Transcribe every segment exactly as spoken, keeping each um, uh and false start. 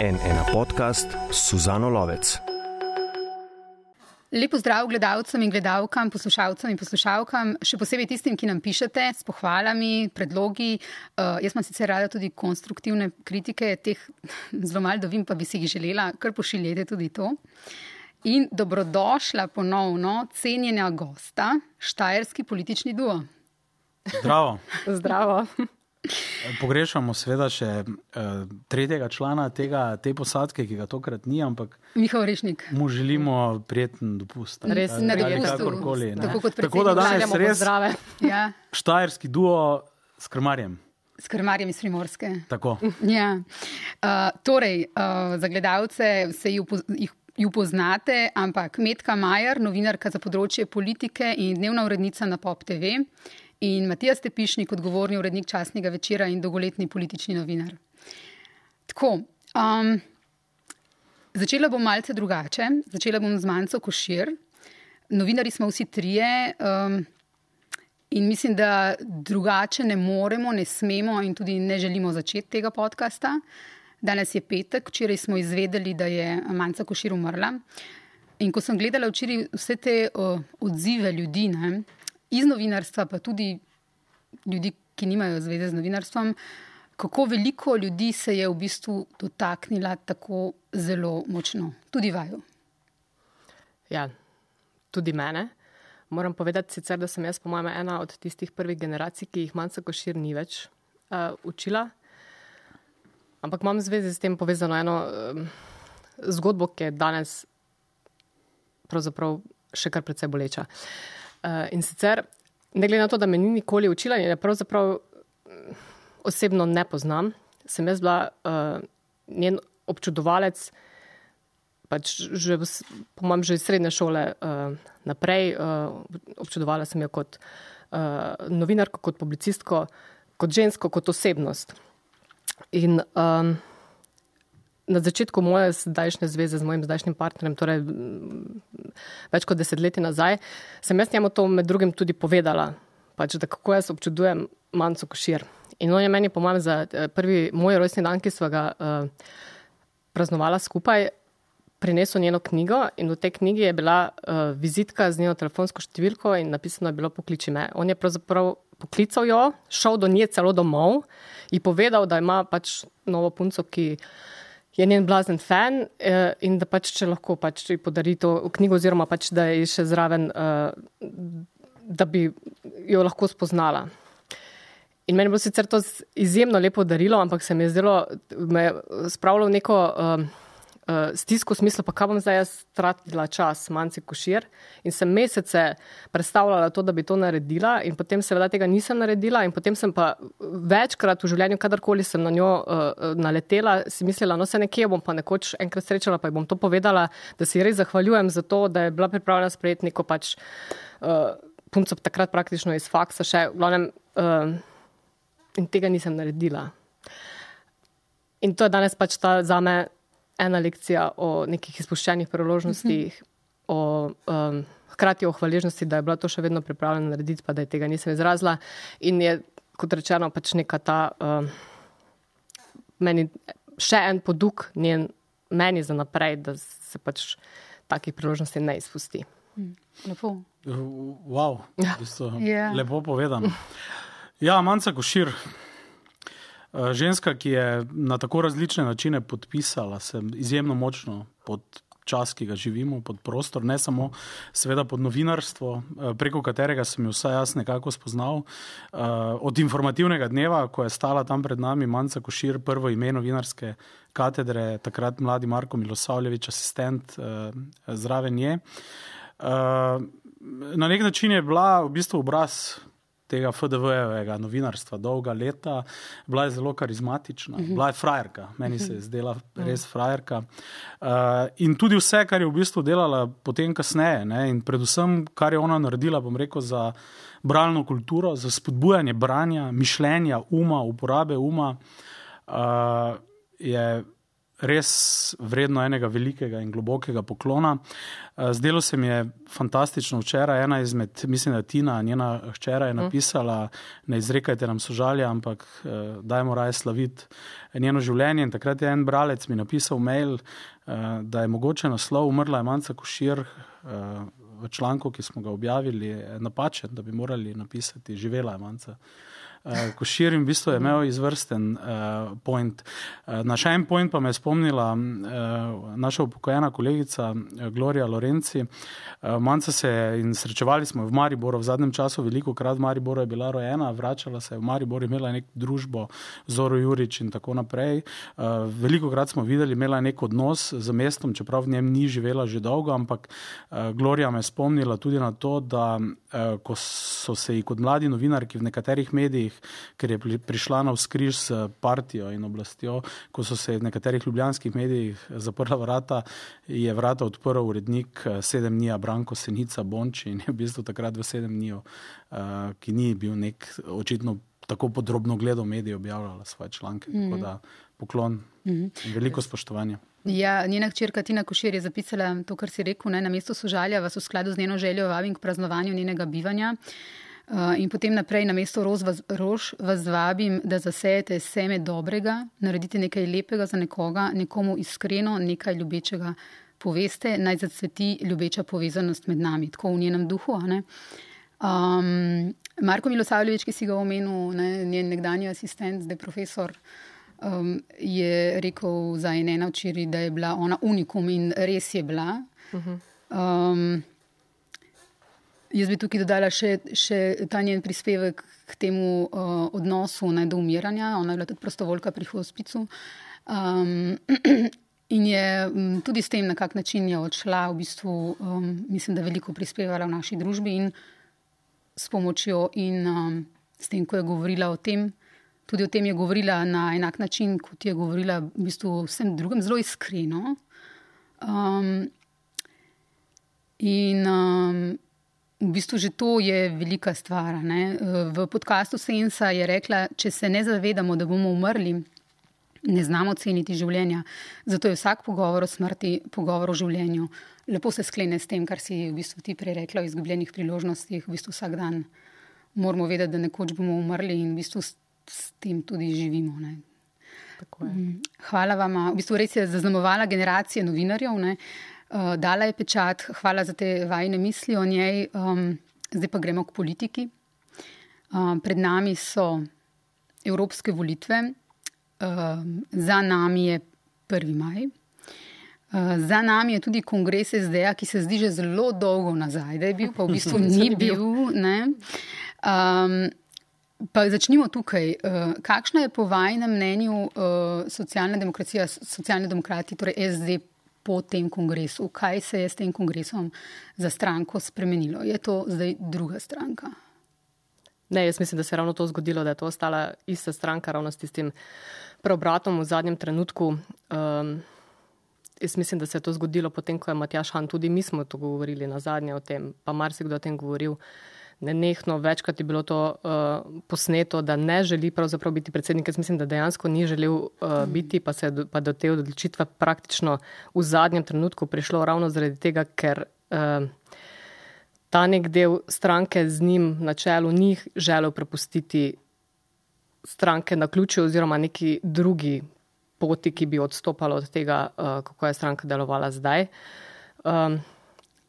en ena podcast s Suzano Lovec. Lep pozdrav gledalcem in gledalkam, poslušalcem in poslušalkam, še posebej tistim, ki nam pišete s pohvalami, predlogi. Uh, jaz imam sicer rada tudi konstruktivne kritike, teh zelo malo dobim, pa bi si jih želela, kar pošiljete tudi to. In dobrodošla ponovno cenjena gosta, štajerski politični duo. Zdravo. Zdravo. Pogrešamo seveda še uh, tretjega člana tega, te posadke, ki ga tokrat ni, ampak Miha Orešnik. Mu želimo prijeten dopust. Res na dopustu. Tako kot Tako da danes res ja. štajerski duo s krmarjem. S krmarjem iz Primorske. Tako. Ja. Uh, torej, uh, za gledalce se jih ju poznate, ampak Metka Majer, novinarka za področje politike in dnevna urednica na Pop te ve, in Matija Stepišnik, odgovorni urednik časnega večera in dolgoletni politični novinar. Tako, um, začela bom malce drugače. Začela bom z Manco Košir. Novinari smo vsi trije um, in mislim, da drugače ne moremo, ne smemo in tudi ne želimo začeti tega podcasta. Danes je petek, včeraj smo izvedeli, da je Manca Košir umrla. In ko sem gledala včeraj vse te uh, odzive ljudi, ne, iz novinarstva, pa tudi ljudi, ki nimajo zveze z novinarstvom, kako veliko ljudi se je v bistvu dotaknila tako zelo močno. Tudi vaju. Ja, tudi mene. Moram povedati sicer, da sem jaz po mojem ena od tistih prvih generacij, ki jih Manca Košir ni več uh, učila. Ampak imam v zvezi s tem povezano eno um, zgodbo, ki je danes pravzaprav še kar precej boleča. Uh, in sicer, ne glede na to, da me ni nikoli učila in je pravzaprav osebno ne poznam, sem jaz bila uh, njen občudovalec, pač že, po mojem, že iz srednje šole uh, naprej. Uh, občudovala sem jo kot uh, novinarko, kot publicistko, kot žensko, kot osebnost. In um, na začetku moje zdajšnje zveze z mojim zdajšnjim partnerjem, torej več kot desetletji nazaj, sem jaz njemu to med drugim tudi povedala, pač, da kako jaz občudujem Manco Košir. In on je meni, po mojem, za prvi moj rojstni dan, ki sva ga uh, praznovala skupaj, prinesel njeno knjigo in v tej knjigi je bila uh, vizitka z njeno telefonsko številko in napisano je bilo pokliči me. On je pravzaprav poklical jo, šel do nje celo domov in povedal, da ima pač novo punco, ki je njen blazen fan in da pač, če lahko pač podari to knjigo oziroma pač, da je še zraven, da bi jo lahko spoznala. In meni je bilo sicer to izjemno lepo darilo, ampak se mi je zdelo, me je spravilo v neko uh, uh, stisko v smislu, pa kaj bom zdaj jaz tratila čas Manci Košir in sem mesece predstavljala to, da bi to naredila in potem seveda tega nisem naredila in potem sem pa večkrat v življenju, kadarkoli sem na njo uh, naletela, si mislila, no se nekje bom pa nekoč enkrat srečala, pa ji bom to povedala, da si res zahvaljujem za to, da je bila pripravljena sprejeti neko pač uh, punco takrat praktično iz faksa še, v glavnem, uh, in tega nisem naredila. In to je danes pač ta zame ena lekcija o nekih izpuščenih priložnostih, mm-hmm. o um, hkrati o hvaležnosti, da je bila to še vedno pripravljena narediti, pa da je tega nisem izrazila. In je, kot rečeno, pač neka ta um, meni še en poduk njen meni za naprej, da se pač takih priložnosti ne izpusti. Mm, lepo. Wow, v bistvu, yeah. Lepo povedano. Ja, Manca Košir, ženska, ki je na tako različne načine podpisala se izjemno močno pod čas, ki ga živimo, pod prostor, ne samo seveda pod novinarstvo, preko katerega sem jo vsaj jaz nekako spoznal. Od informativnega dneva, ko je stala tam pred nami Manca Košir, prvo ime novinarske katedre, takrat mladi Marko Milosavljević, asistent zraven nje. Na nek način je bila v bistvu obraz tega F D V-evega novinarstva dolga leta, bila je zelo karizmatična, mm-hmm. bila je frajerka, meni se je zdela res frajerka. Uh, in tudi vse, kar je v bistvu delala potem kasneje, ne, in predvsem, kar je ona naredila, bom rekel, za bralno kulturo, za spodbujanje branja, mišljenja, uma, uporabe uma, uh, je res vredno enega velikega in globokega poklona. Zdelo se mi je fantastično včeraj, ena izmed, mislim, da Tina, njena hčera je napisala, ne izrekajte nam sožalja, ampak dajmo raje slaviti njeno življenje. In takrat je en bralec mi napisal mail, da je mogoče naslov Umrla je Manca Košir v članku, ki smo ga objavili, napačen, da bi morali napisati Živela je Manca Košir, in v bistvu je imel izvrsten uh, point. Uh, na še en point pa me je spomnila uh, naša upokojena kolegica uh, Gloria Lorenci. Uh, Manca se je, in srečevali smo v Mariboru v zadnjem času, veliko krat v Mariboru je bila rojena, vračala se je v Maribor, imela nek družbo Zoro Jurič in tako naprej. Uh, veliko krat smo videli, imela nek odnos z mestom, čeprav v njem ni živela že dolgo, ampak uh, Gloria me je spomnila tudi na to, da uh, ko so se ji kot mladi novinarki v nekaterih medijih, ker je prišla na vzkriž s partijo in oblastjo, ko so se v nekaterih ljubljanskih medijih zaprla vrata, je vrata odprl urednik Sedem dni Branko Senica Bonči in je v bistvu takrat v Sedem dni, ki ni bil nek očitno tako podrobno gledal medije, objavljala svoje članke. Mm. Tako da poklon in veliko spoštovanja. Ja, njena hčerka Tina Košir je zapisala to, kar si rekel, ne, na mesto sožalja vas v skladu z njeno željo vabim k praznovanju njenega bivanja. Uh, in potem naprej na mesto rož vas, rož vas vabim, da zasejete seme dobrega, naredite nekaj lepega za nekoga, nekomu iskreno, nekaj ljubečega poveste, naj zacveti ljubeča povezanost med nami, tako v njenem duhu. Ne? Um, Marko Milosavljević, ki si ga omenil, ne, njen nekdanji asistent, zdaj profesor, um, je rekel za Enena včeraj, da je bila ona unikum in res je bila. Um, Jaz bi tukaj dodala še, še ta njen prispevek k temu uh, odnosu ne, do umiranja. Ona je bila tudi prostovoljka pri hospicu. Um, in je um, tudi s tem, na kak način je odšla, v bistvu, um, mislim, da veliko prispevala v naši družbi in s pomočjo in um, s tem, ko je govorila o tem, tudi o tem je govorila na enak način, kot je govorila v bistvu vsem drugim, zelo iskreno. Um, in... Um, V bistvu že to je velika stvar. Ne? V podcastu Sensa je rekla, če se ne zavedamo, da bomo umrli, ne znamo ceniti življenja. Zato je vsak pogovor o smrti pogovor o življenju. Lepo se sklene s tem, kar si v bistvu ti prej rekla o izgubljenih priložnostih. V bistvu vsak dan moramo vedeti, da nekoč bomo umrli in v bistvu s, s tem tudi živimo. Ne? Tako je. Hvala vama. V bistvu res je zaznamovala generacije novinarjev, ne? Uh, dala je pečat, hvala za te vajne misli o njej. Um, zdaj pa gremo k politiki. Uh, pred nami so evropske volitve. Uh, za nami je prvi maj. Uh, za nami je tudi kongres es de a, ki se zdi že zelo dolgo nazaj, da je bil, pa v bistvu ni bil. Ne? Um, pa začnimo tukaj. Uh, kakšna je po vajnem mnenju uh, socialna demokracija, socialni demokrati, torej es de, po tem kongresu? Kaj se je s tem kongresom za stranko spremenilo? Je to zdaj druga stranka? Ne, jaz mislim, da se je ravno to zgodilo, da je to ostala ista stranka, ravno s tistim preobratom v zadnjem trenutku. Um, jaz mislim, da se je to zgodilo potem, ko je Matjaž Han, tudi mi smo to govorili na zadnje o tem, pa marsikdo o tem govoril, nenehno, večkrat je bilo to uh, posneto, da ne želi pravzaprav biti predsednik. Jaz mislim, da dejansko ni želel uh, biti, pa se je do, pa do te odločitve praktično v zadnjem trenutku prišlo ravno zaradi tega, ker uh, ta nek del stranke z njim na čelu ni želel prepustiti stranke na ključu oziroma neki drugi poti, ki bi odstopala od tega, uh, kako je stranka delovala zdaj. Um,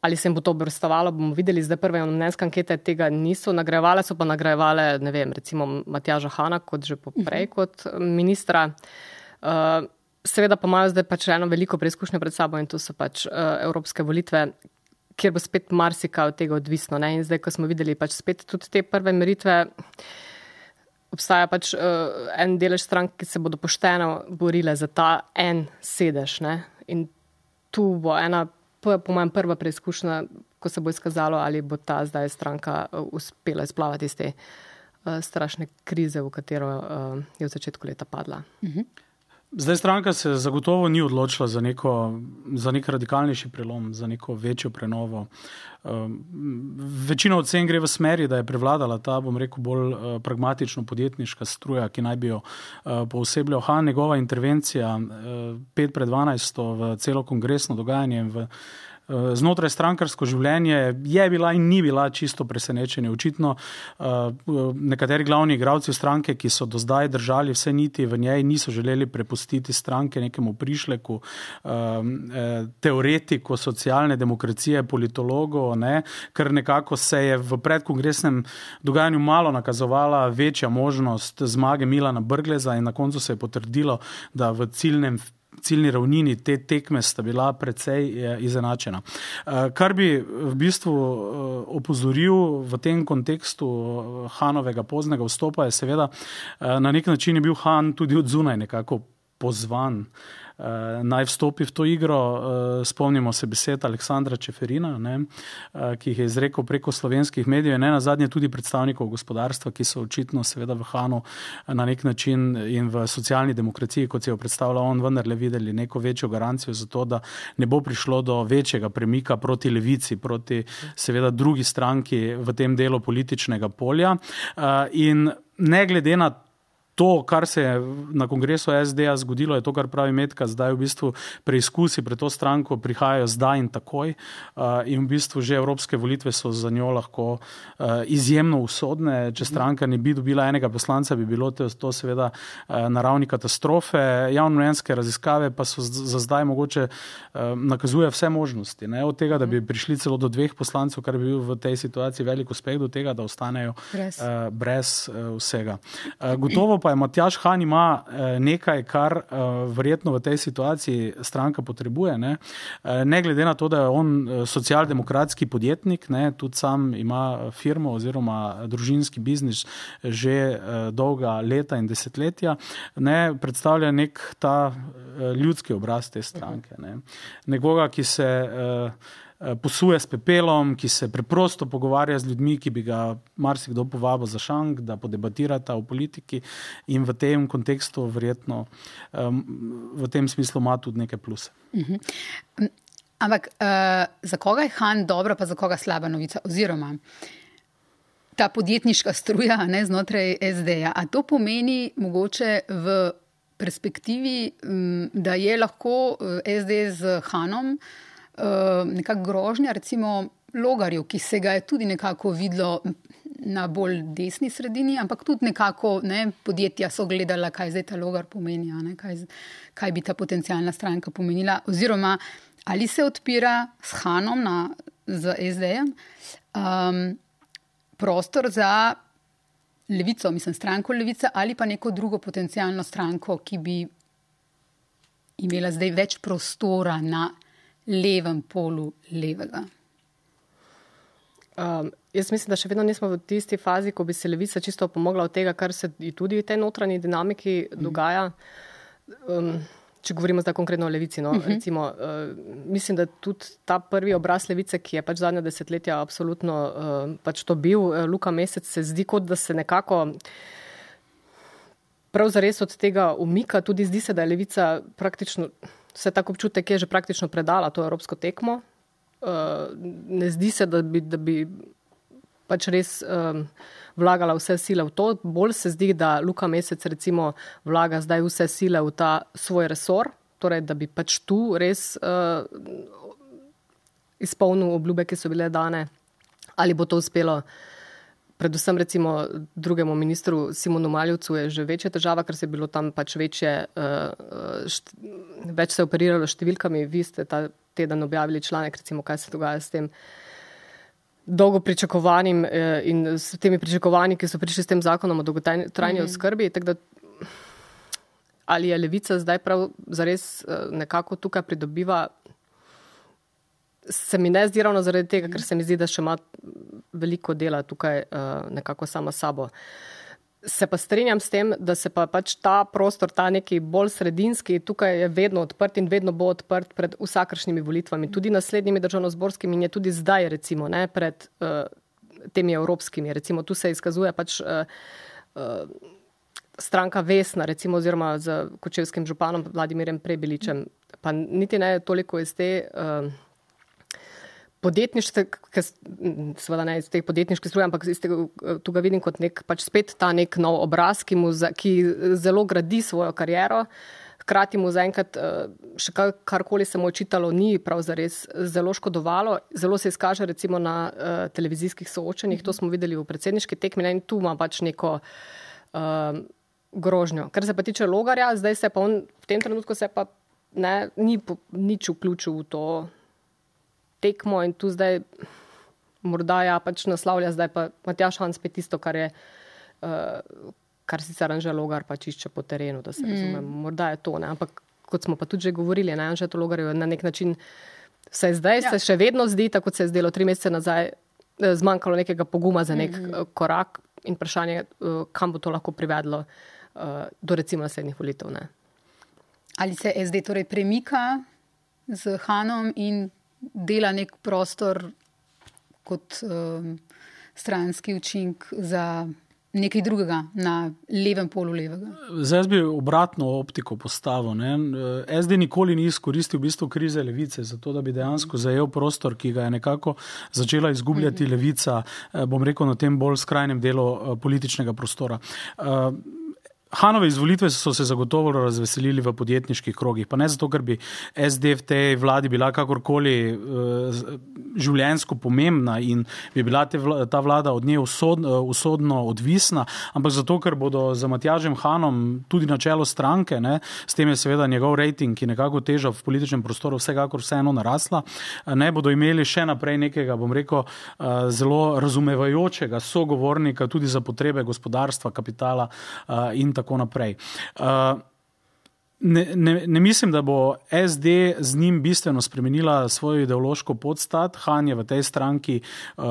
Ali se jim bo to obrestovalo, bomo videli. Zdaj prve mnenjske ankete tega niso nagrajevale, so pa nagrajevale, ne vem, recimo Matjaža Hana, kot že poprej, kot ministra. Uh, seveda pa imajo zdaj pač eno veliko preizkušnje pred sabo in to so pač uh, evropske volitve, kjer bo spet marsikaj od tega odvisno. Ne? In zdaj, ko smo videli pač spet tudi te prve meritve, obstaja pač uh, en delež strank, ki se bodo pošteno borile za ta en sedež. Ne? In tu bo ena po mojem prva preizkušnja, ko se bo izkazalo, ali bo ta zdaj stranka uspela izplavati iz te uh, strašne krize, v katero uh, je v začetku leta padla. Uh-huh. Zdaj stranka se zagotovo ni odločila za, neko, za nek radikalnejši prelom, za neko večjo prenovo. Večina ocen gre v smeri, da je prevladala ta, bom rekel, bolj pragmatično podjetniška struja, ki naj bi jo poosebljal Han. Njegova intervencija pet pred dvanajsto v celo kongresno dogajanje v znotraj strankarsko življenje je bila in ni bila čisto presenečenje. Očitno nekateri glavni igralci stranke, ki so do zdaj držali vse niti v njej, niso želeli prepustiti stranke nekemu prišleku, teoretiku socialne demokracije, politologu, ne, ker nekako se je v predkongresnem dogajanju malo nakazovala večja možnost zmage Milana Brgleza in na koncu se je potrdilo, da v ciljnem ciljni ravnini te tekme sta bila precej izenačena. Kar bi v bistvu opozoril v tem kontekstu Hanovega poznega vstopa je seveda, na nek način je bil Han tudi od zunaj nekako pozvan naj vstopi v to igro. Spomnimo se besed Aleksandra Čeferina, ne, ki jih je izrekel preko slovenskih medijev, ne nazadnje tudi predstavnikov gospodarstva, ki so očitno seveda v Hanu na nek način in v socialni demokraciji, kot se jo predstavlja on, vendarle videli neko večjo garancijo za to, da ne bo prišlo do večjega premika proti levici, proti seveda drugi stranki v tem delu političnega polja. In ne glede na to, kar se je na kongresu S D-ja zgodilo, je to, kar pravi Metka, zdaj v bistvu preizkusi pred to stranko prihajajo zdaj in takoj in v bistvu že evropske volitve so za njo lahko izjemno usodne. Če stranka ne bi dobila enega poslanca, bi bilo to, to seveda na ravni katastrofe. Javnomnenjske raziskave pa so za zdaj mogoče nakazuje vse možnosti. Ne? Od tega, da bi prišli celo do dveh poslancev, kar bi bil v tej situaciji velik uspeh, do tega, da ostanejo brez, brez vsega. Gotovo pa je Matjaž Han ima nekaj, kar verjetno v tej situaciji stranka potrebuje. Ne, ne glede na to, da je on socialdemokratski podjetnik, ne, tudi sam ima firmo oziroma družinski biznis že dolga leta in desetletja, ne, predstavlja nek ta ljudski obraz te stranke. Ne. Nekoga, ki se posuje s pepelom, ki se preprosto pogovarja z ljudmi, ki bi ga marsikdo povabil za šank, da podebatirata o politiki in v tem kontekstu verjetno v tem smislu ima tudi neke pluse. Uh-huh. Ampak uh, za koga je Han dobra, pa za koga slaba novica? Oziroma ta podjetniška struja, ne, znotraj S D-ja. A to pomeni mogoče v perspektivi, da je lahko S D z Hanom nekako grožnja, recimo Logarju, ki se ga je tudi nekako videlo na bolj desni sredini, ampak tudi nekako ne, podjetja so gledala, kaj zdaj ta Logar pomeni, ne, kaj, kaj bi ta potencijalna stranka pomenila. Oziroma, ali se odpira s Hanom na, z S D-jem um, prostor za levico, mislim stranko Levica, ali pa neko drugo potencijalno stranko, ki bi imela zdaj več prostora na levem polu levega. Um, jaz mislim, da še vedno nismo v tisti fazi, ko bi se Levica čisto pomogla od tega, kar se tudi v tej notranji dinamiki dogaja. Um, če govorimo zdaj konkretno o Levici, no, uh-huh. recimo, uh, mislim, da tudi ta prvi obraz Levice, ki je pač zadnja desetletja absolutno uh, pač to bil, uh, Luka Mesec, se zdi kot, da se nekako prav zares od tega umika. Tudi zdi se, da je Levica praktično vse tako občutek je že praktično predala to evropsko tekmo. Uh, ne zdi se, da bi, da bi pač res um, vlagala vse sile v to. Bolj se zdi, da Luka Mesec recimo vlaga zdaj vse sile v ta svoj resor, torej da bi pač tu res uh, izpolnil obljube, ki so bile dane. Ali bo to uspelo? Predvsem recimo drugemu ministru Simonu Maljevcu je že večja težava, ker se je bilo tam pač večje, uh, št, več se je operiralo številkami. Vi ste ta teden objavili članek, recimo, kaj se dogaja s tem dolgo pričakovanim uh, in s temi pričakovanji, ki so prišli s tem zakonom o dolgotrajni mm-hmm. oskrbi. Tako da, ali je Levica zdaj prav zares uh, nekako tukaj pridobiva, se mi ne zdi ravno zaradi tega, ker se mi zdi, da še ima veliko dela tukaj uh, nekako sama sabo. Se pa strinjam s tem, da se pa pač ta prostor, ta neki bolj sredinski, tukaj je vedno odprt in vedno bo odprt pred vsakršnimi volitvami, tudi naslednjimi državnozborskimi in je tudi zdaj recimo, ne, pred uh, temi evropskimi. Recimo tu se izkazuje pač uh, uh, stranka Vesna, recimo, oziroma z kočevskim županom Vladimirjem Prebiličem, pa niti ne toliko iz te uh, podjetniške, seveda ne iz teh podjetniških struje, ampak iz tega, tu ga vidim kot nek, pač spet ta nek nov obraz, ki, mu za, ki zelo gradi svojo kariero, hkrati mu zaenkrat še kar, karkoli se mu očitalo ni prav zares zelo škodovalo. Zelo se izkaže recimo na uh, televizijskih soočenjih, to smo videli v predsedniški tekmi, in tu ima pač neko uh, grožnjo. Kar se pa tiče Logarja, zdaj se pa on, v tem trenutku se pa ne, ni po, nič vključil v to tekmo in tu zdaj morda ja pač naslavlja zdaj pa Matjaž Han spet tisto, kar je uh, kar sicer Anže Logar pač išče po terenu, da se mm. razumem. Morda je to, ne? Ampak kot smo pa tudi že govorili, ne? Anže Logarju na nek način se zdaj ja. se še vedno zdi, tako kot se je zdelo tri mesece nazaj, zmanjkalo nekega poguma za nek mm. korak in vprašanje, kam bo to lahko privedlo uh, do recimo naslednjih volitev. Ne? Ali se S D torej premika z Hanom in dela nek prostor kot um, stranski učink za nekaj drugega na levem polu levega? Zdaj jaz bi obratno optiko postavil. Ne? S D nikoli ni izkoristil v bistvu krize levice, zato da bi dejansko zajel prostor, ki ga je nekako začela izgubljati levica, bom rekel, na tem bolj skrajnem delu političnega prostora. Hanove izvolitve so se zagotovo razveselili v podjetniških krogih, pa ne zato, ker bi S D v tej vladi bila kakorkoli uh, življenjsko pomembna in bi bila te vla, ta vlada od nje usodno, usodno odvisna, ampak zato, ker bodo za Matjažem Hanom tudi na čelo stranke, ne, s tem je seveda njegov rejting, ki nekako teža v političnem prostoru vsekakor vseeno narasla, ne bodo imeli še naprej nekega, bom rekel, uh, zelo razumevajočega sogovornika tudi za potrebe gospodarstva, kapitala uh, in tako tako naprej. Uh, ne, ne, ne mislim, da bo S D z njim bistveno spremenila svojo ideološko podstat. Han je v tej stranki uh,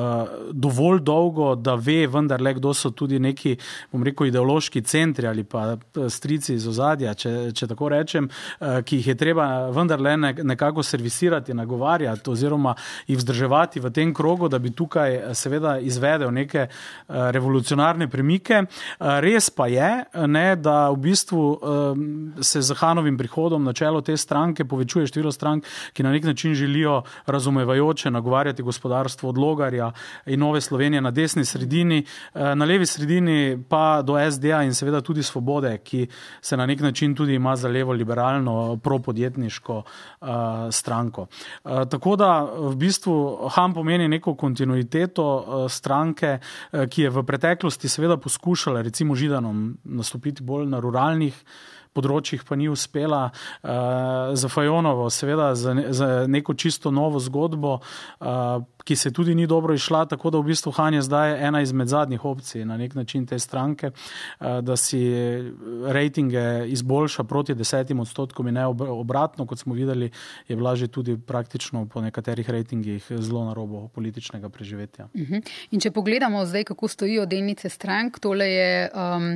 dovolj dolgo, da ve vendarle, kdo so tudi neki, bom rekel, ideološki centri ali pa strici iz ozadja, če, če tako rečem, uh, ki jih je treba vendarle ne, nekako servisirati, nagovarjati oziroma jih vzdrževati v tem krogu, da bi tukaj seveda izvedel neke uh, revolucionarne premike. Uh, res pa je, ne, da v bistvu um, se z Hanovim prihodom na čelo te stranke povečuje število strank, ki na nek način želijo razumevajoče nagovarjati gospodarstvo od Logarja in Nove Slovenije na desni sredini, na levi sredini pa do S D-a in seveda tudi Svobode, ki se na nek način tudi ima za levo liberalno propodjetniško uh, stranko. Uh, tako da v bistvu Han pomeni neko kontinuiteto uh, stranke, uh, ki je v preteklosti seveda poskušala recimo Židanom nastopiti bolj na ruralnih področjih, pa ni uspela, uh, za Fajonovo, seveda za, ne, za neko čisto novo zgodbo, uh, ki se tudi ni dobro išla, tako da v bistvu Han je zdaj ena izmed zadnjih opcij na nek način te stranke, uh, da si rejtinge izboljša proti desetim odstotkom in ne obratno, kot smo videli, je bila že tudi praktično po nekaterih rejtingih zelo na robu političnega preživetja. Uh-huh. In če pogledamo zdaj, kako stojijo delnice strank, tole je um,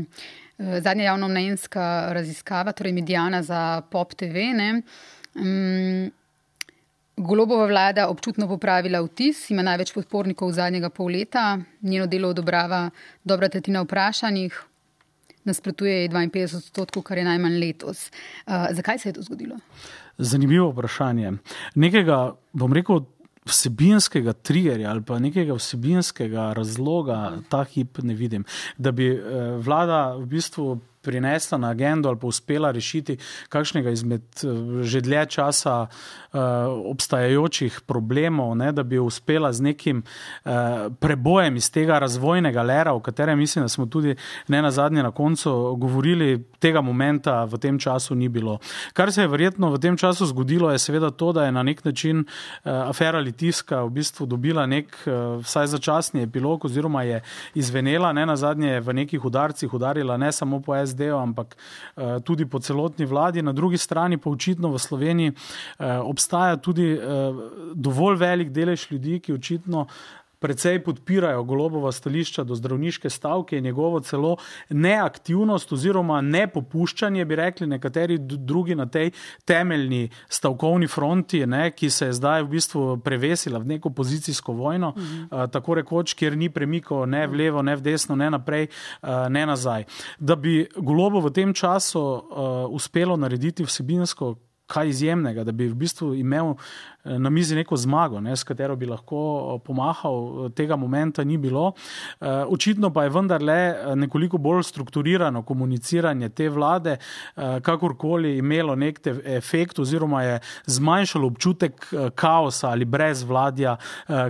zadnja javnomnenjska raziskava, torej Mediana za Pop T V. Ne? Um, Golobova vlada občutno popravila vtis, ima največ podpornikov zadnjega pol leta, njeno delo odobrava dobra tretjina vprašanih, nasprotuje je dvainpetdeset odstotkov, kar je najmanj letos. Uh, zakaj se je to zgodilo? Zanimivo vprašanje. Nekega, bom rekel, vsebinskega triggerja ali pa nekega vsebinskega razloga ta hip ne vidim. Da bi eh, vlada v bistvu prinesla na agendo ali pa uspela rešiti kakšnega izmed že dlje časa uh, obstajajočih problemov, ne, da bi uspela z nekim uh, prebojem iz tega razvojnega lera, o katerem mislim, da smo tudi ne nazadnje na koncu govorili, tega momenta v tem času ni bilo. Kar se je verjetno v tem času zgodilo, je seveda to, da je na nek način uh, afera Litijska v bistvu dobila nek uh, vsaj začasni epilog oziroma je izvenela, ne nazadnje v nekih udarcih udarila ne samo po S D, ampak uh, tudi po celotni vladi. Na drugi strani pa očitno v Sloveniji uh, obstaja tudi uh, dovolj velik delež ljudi, ki očitno precej podpirajo Golobova stališča do zdravniške stavke in njegovo celo neaktivnost oziroma nepopuščanje, bi rekli nekateri drugi na tej temeljni stavkovni fronti, ne, ki se je zdaj v bistvu prevesila v neko pozicijsko vojno, mhm. uh, tako rekoč, kjer ni premikov ne v levo, ne v desno, ne naprej, uh, ne nazaj. Da bi Golobu v tem času uh, uspelo narediti vsebinsko kaj izjemnega, da bi v bistvu imel na mizi neko zmago, ne, s katero bi lahko pomahal, tega momenta ni bilo. Očitno pa je vendarle nekoliko bolj strukturirano komuniciranje te vlade, kakorkoli imelo nek efekt oziroma je zmanjšalo občutek kaosa ali brezvladja,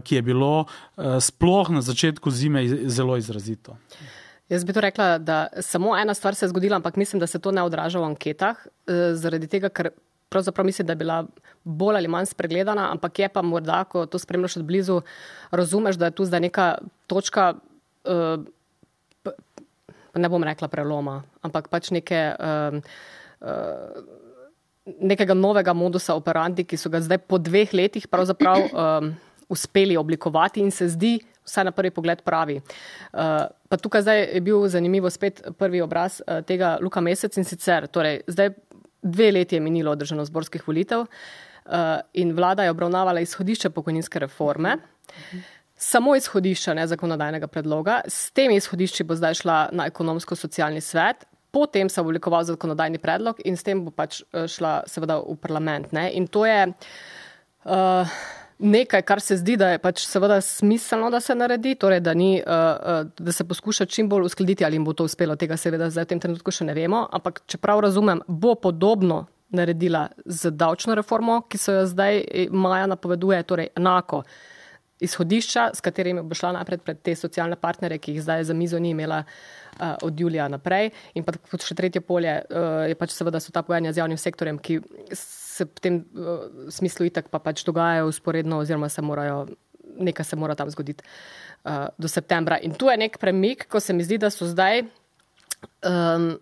ki je bilo sploh na začetku zime zelo izrazito. Jaz bi to rekla, da samo ena stvar se je zgodila, ampak mislim, da se to ne odraža v anketah, zaradi tega, ker pravzaprav mislim, da je bila bolj ali manj spregledana, ampak je pa morda, ko to spremljaš od blizu, razumeš, da je tu zdaj neka točka, uh, ne bom rekla preloma, ampak pač neke, uh, uh, nekega novega modusa operandi, ki so ga zdaj po dveh letih pravzaprav um, uspeli oblikovati in se zdi vsaj na prvi pogled pravi. Uh, pa tukaj zdaj je bil zanimivo spet prvi obraz uh, tega Luka Mesec in sicer, torej zdaj dve leti je minilo od državnozborskih volitev uh, in vlada je obravnavala izhodišče pokojninske reforme. Samo izhodišča, ne zakonodajnega predloga. S temi izhodišči bo zdaj šla na ekonomsko-socialni svet, potem se bo oblikoval zakonodajni predlog in s tem bo pač šla seveda v parlament. Ne? In to je uh, nekaj, kar se zdi, da je pač seveda smiselno, da se naredi, torej da, ni, uh, da se poskuša čim bolj uskladiti, ali jim bo to uspelo, tega seveda zdaj v tem trenutku še ne vemo, ampak čeprav razumem, bo podobno naredila z davčno reformo, ki se jo zdaj maja napoveduje, torej enako izhodišča, s katerimi bo šla napred pred te socialne partnere, ki jih zdaj za mizo ni imela uh, od julija naprej. In pa kot še tretje polje uh, je pač seveda so ta pogajanja z javnim sektorjem, ki se v tem uh, smislu itak pa pač dogajajo usporedno oziroma se morajo, nekaj se mora tam zgoditi uh, do septembra. In tu je nek premik, ko se mi zdi, da so zdaj um,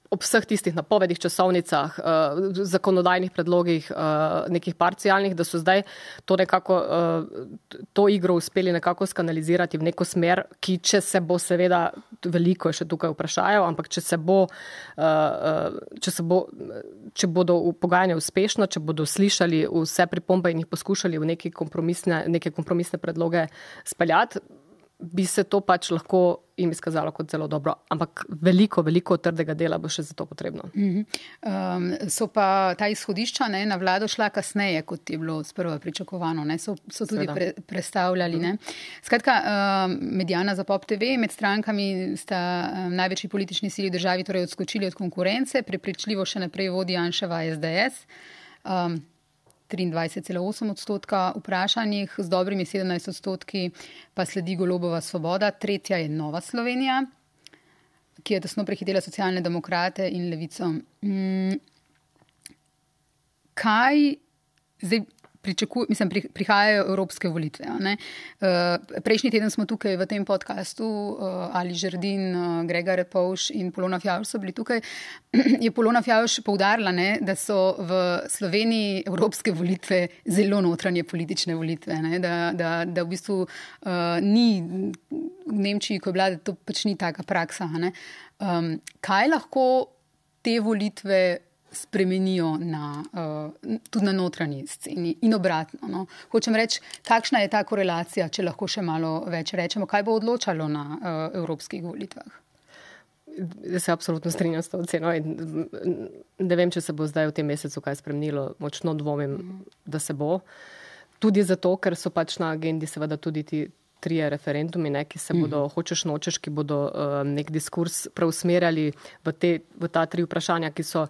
ob vseh tistih napovedih, časovnicah, uh, zakonodajnih predlogih, uh, nekih parcialnih, da so zdaj to nekako, uh, to igro uspeli nekako skanalizirati v neko smer, ki če se bo seveda, veliko je še tukaj vprašajo, ampak če se bo, uh, če se bo, če bodo pogajanja uspešno, če bodo slišali vse pripombe in jih poskušali v neke kompromisne, neke kompromisne predloge speljati, bi se to pač lahko jim izkazalo kot zelo dobro, ampak veliko, veliko trdega dela bo še za to potrebno. Mm-hmm. Um, so pa ta izhodišča ne, na vlado šla kasneje, kot je bilo sprva pričakovano, ne, so, so tudi pre, prestavljali. Ne. Skratka, um, Mediana za Pop T V, med strankami sta um, največji politični sili v državi torej odskočili od konkurence, prepričljivo še naprej vodi Janševa S D S. Um, triindvajset cela osem odstotka vprašanjih, z dobrimi sedemnajst odstotki pa sledi Golobova Svoboda, tretja je Nova Slovenija, ki je tesno prehitela Socialne demokrate in Levico. Hmm. Kaj zdaj pričakuj, mislim, prihajajo evropske volitve. Ne? Prejšnji teden smo tukaj v tem podcastu, Ali Žerdin, Grega Repovš in Polona Fjavž so bili tukaj. Je Polona Fjavž poudarila, ne, da so v Sloveniji evropske volitve zelo notranje politične volitve. Ne? Da, da, da v bistvu uh, ni v Nemčiji, ko je bila, da to pač ni taka praksa. Ne? Um, kaj lahko te volitve spremenijo na, uh, tudi na notranji sceni in obratno. No. Hočem reči, kakšna je ta korelacija, če lahko še malo več rečemo, kaj bo odločalo na uh, evropskih volitvah? Jaz se absolutno strinjam s to oceno in ne vem, če se bo zdaj v tem mesecu kaj spremenilo, močno dvomim, da se bo. Tudi zato, ker so pač na agendi seveda tudi ti trije referendumi, ne, ki se bodo, mm. hočeš nočeš, ki bodo uh, nek diskurs preusmerjali v, te, v ta tri vprašanja, ki so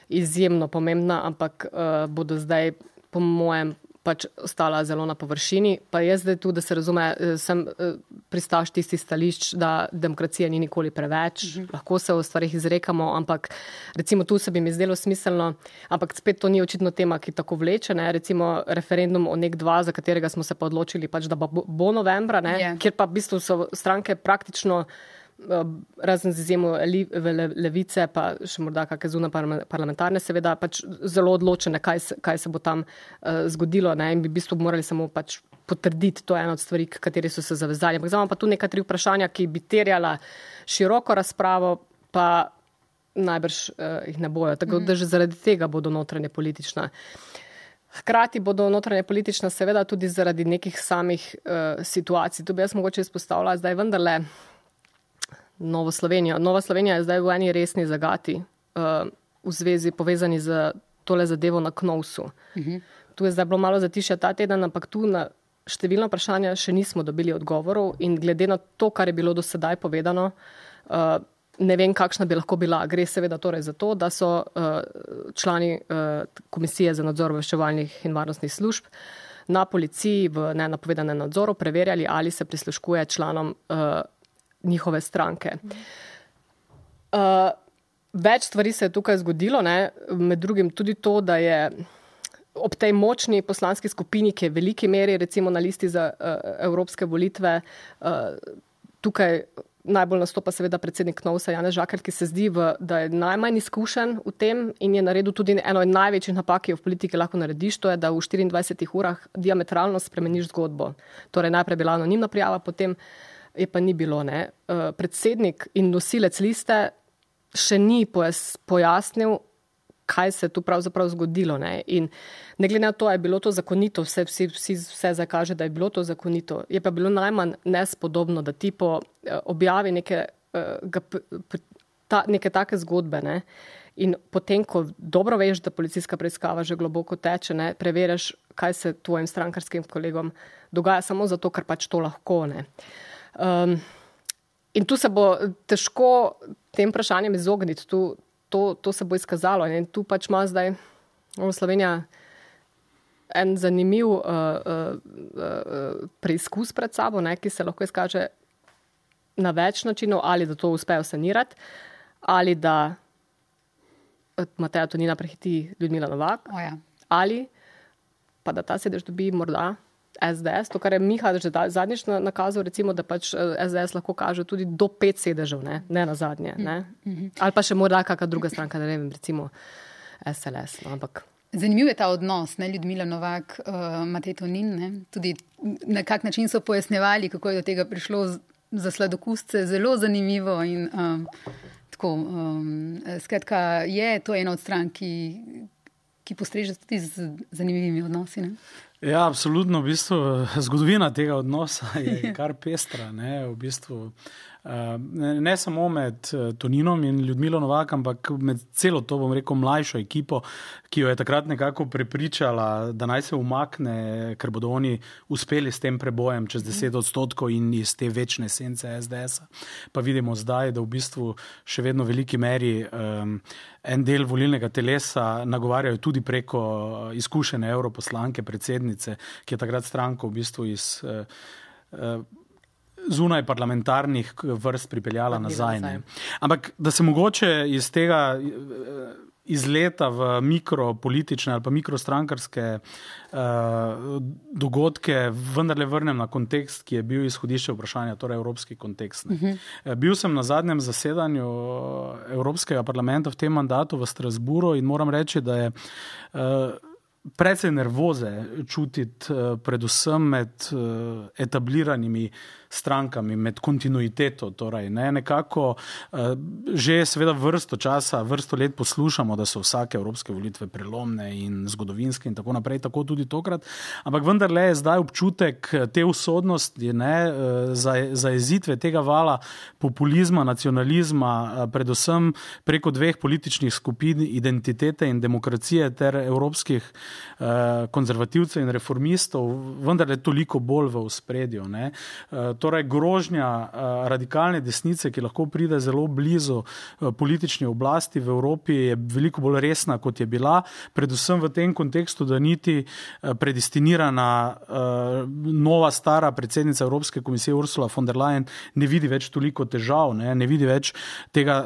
izjemno pomembna, ampak uh, bodo zdaj, po mojem, pač ostala zelo na površini. Pa jaz zdaj tu, da se razume, sem uh, pristaš tisti stališč, da demokracija ni nikoli preveč, mm-hmm. lahko se o stvarih izrekamo, ampak recimo tu se bi mi zdelo smiselno, ampak spet to ni očitno tema, ki tako vleče, ne, recimo referendum o nek dva, za katerega smo se pa odločili, pač, da bo, bo novembra, ne, yeah. kjer pa v bistvu so stranke praktično razen z izjemo Levice, pa še morda kakšne zunaj parlamentarne, seveda pač zelo odločene, kaj se, kaj se bo tam uh, zgodilo, ne, in bi v bistvu morali samo pač potrditi, to je ena od stvari, kateri so se zavezali. Ampak zdaj pa tu neka tri vprašanja, ki bi terjala široko razpravo, pa najbrž uh, jih ne bojo. Tako mm. da že zaradi tega bodo notranje politična. Hkrati bodo notranje politična seveda tudi zaradi nekih samih uh, situacij. Tu bi jaz mogoče izpostavila zdaj vendarle Novo Slovenijo. Nova Slovenija je zdaj v eni resni zagati uh, v zvezi povezani z tole zadevo na Knovsu. Uh-huh. Tu je zdaj bilo malo zatišja ta teden, ampak tu na številna vprašanja še nismo dobili odgovorov in glede na to, kar je bilo do sedaj povedano, uh, ne vem, kakšna bi lahko bila. Gre seveda torej za to, da so uh, člani uh, Komisije za nadzor obveščevalnih in varnostnih služb na policiji v nenapovedanem nadzoru preverjali, ali se prisluškuje članom uh, njihove stranke. Uh, več stvari se je tukaj zgodilo, ne? Med drugim tudi to, da je ob tej močni poslanski skupini, ki je v veliki meri recimo na listi za uh, evropske volitve, uh, tukaj najbolj nastopa seveda predsednik Knovsa Janez Žakelj, ki se zdi, v, da je najmanj izkušen v tem in je naredil tudi eno od največjih napak, ki jo v politiki lahko narediš, to je, da v štiriindvajsetih urah diametralno spremeniš zgodbo. Torej najprej bila anonimna prijava, potem je pa ni bilo. Ne. Predsednik in nosilec liste še ni pojasnil, kaj se je tu pravzaprav zgodilo. Ne. In ne glede na to, je bilo to zakonito, vse, vsi, vsi, vse zakaže, da je bilo to zakonito. Je pa bilo najmanj nespodobno, da ti po objavi neke, ta, neke take zgodbe, ne. In potem, ko dobro veš, da policijska preiskava že globoko teče, ne, preveriš, kaj se tvojim strankarskim kolegom dogaja samo zato, ker pač to lahko. Ne. Um, in tu se bo težko tem vprašanjem izogniti, tu, to, to se bo izkazalo. In tu pač ima zdaj Slovenija en zanimiv uh, uh, uh, preizkus pred sabo, ne, ki se lahko izkaže na več načinov, ali da to uspejo sanirati, ali da Mateja Tonina prehiti Ljudmila Novak, oh, ja. ali pa da ta sedež dobi morda S D S, to, kar je Miha že zadnjič nakazal, recimo, da pač S D S lahko kaže tudi do pet sedežev, ne, ne na zadnje. Ne? Mm-hmm. Ali pa še morda kakšna druga stranka, ne vem, recimo S L S. No, ampak... Zanimiv je ta odnos, ne, Ljudmila Novak, uh, Matej Tonin, ne? Tudi na kak način so pojasnjevali, kako je do tega prišlo z, za sladokusce, zelo zanimivo in um, tako, um, skratka, je to ena od strank, ki, ki postreže tudi z zanimivimi odnosi, ne? Ja, absolutno. V bistvu zgodovina tega odnosa je kar pestra. Ne, v bistvu, ne, ne samo med Toninom in Ljudmilo Novak, ampak med celo to, bom rekel, mlajšo ekipo, ki jo je takrat nekako prepričala, da naj se umakne, ker bodo oni uspeli s tem prebojem čez deset odstotkov in iz te večne esence S D S-a. Pa vidimo zdaj, da v bistvu še vedno v veliki meri um, en del volilnega telesa nagovarjajo tudi preko izkušene europoslanke, predsednice, ki je takrat stranko v bistvu iz uh, uh, zunaj parlamentarnih vrst pripeljala nazaj. Ne. Ampak da se mogoče iz tega izleta v mikropolitične ali pa mikrostrankarske uh, dogodke vendarle vrnem na kontekst, ki je bil izhodišče vprašanja, torej evropski kontekst. Uh-huh. Bil sem na zadnjem zasedanju Evropskega parlamenta v tem mandatu v Strasburu in moram reči, da je uh, precej nervoze čutiti uh, predvsem med uh, etabliranimi strankami, med kontinuiteto. Torej, ne, nekako uh, že seveda vrsto časa, vrsto let poslušamo, da so vsake evropske volitve prelomne in zgodovinske in tako naprej, tako tudi tokrat. Ampak vendarle je zdaj občutek te usodnosti, ne, za, zajezitve tega vala populizma, nacionalizma, predvsem preko dveh političnih skupin, identitete in demokracije ter evropskih uh, konzervativcev in reformistov, vendarle toliko bolj v ospredju. Ne. Uh, Torej, grožnja radikalne desnice, ki lahko pride zelo blizu politični oblasti v Evropi, je veliko bolj resna, kot je bila. Predvsem v tem kontekstu, da niti predestinirana nova stara predsednica Evropske komisije Ursula von der Leyen ne vidi več toliko težav, ne, ne vidi več tega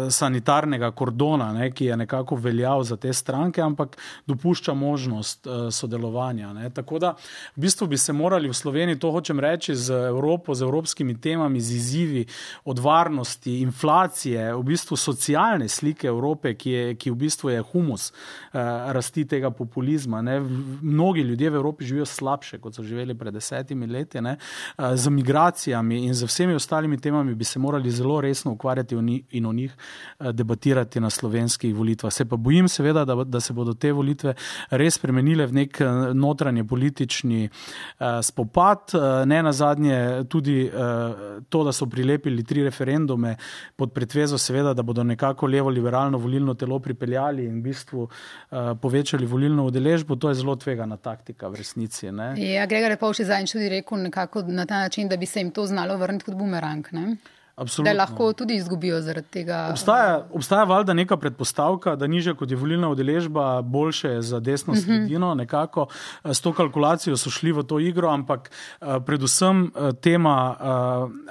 sanitarnega kordona, ne, ki je nekako veljal za te stranke, ampak dopušča dopušča možnost uh, sodelovanja. Ne. Tako da v bistvu bi se morali v Sloveniji, to hočem reči, z Evropo, z evropskimi temami, z izzivi od varnosti, inflacije, v bistvu socialne slike Evrope, ki, je, ki v bistvu je humus uh, rasti tega populizma. Ne. Mnogi ljudje v Evropi živijo slabše, kot so živeli pred desetimi leti. Ne. Uh, z migracijami in z vsemi ostalimi temami bi se morali zelo resno ukvarjati in o njih uh, debatirati na slovenskih volitvah. Se pa bojim seveda, da, da se bodo te volitve res spremenile v nek notranje politični uh, spopad. Uh, ne nazadnje tudi uh, to, da so prilepili tri referendume pod pretvezo seveda, da bodo nekako levo-liberalno volilno telo pripeljali in v bistvu uh, povečali volilno udeležbo, to je zelo tvegana taktika v resnici. Ne? Ja, Gregor Repovž je zadnjič tudi rekel nekako na ta način, da bi se jim to znalo vrniti kot bumerang, ne? Absolutno. Da lahko tudi izgubijo zaradi tega. Obstaja, obstaja valjda neka predpostavka, da nižja kot je volilna udeležba, boljše je za desno sredino. Nekako s to kalkulacijo so šli v to igro, ampak predvsem tema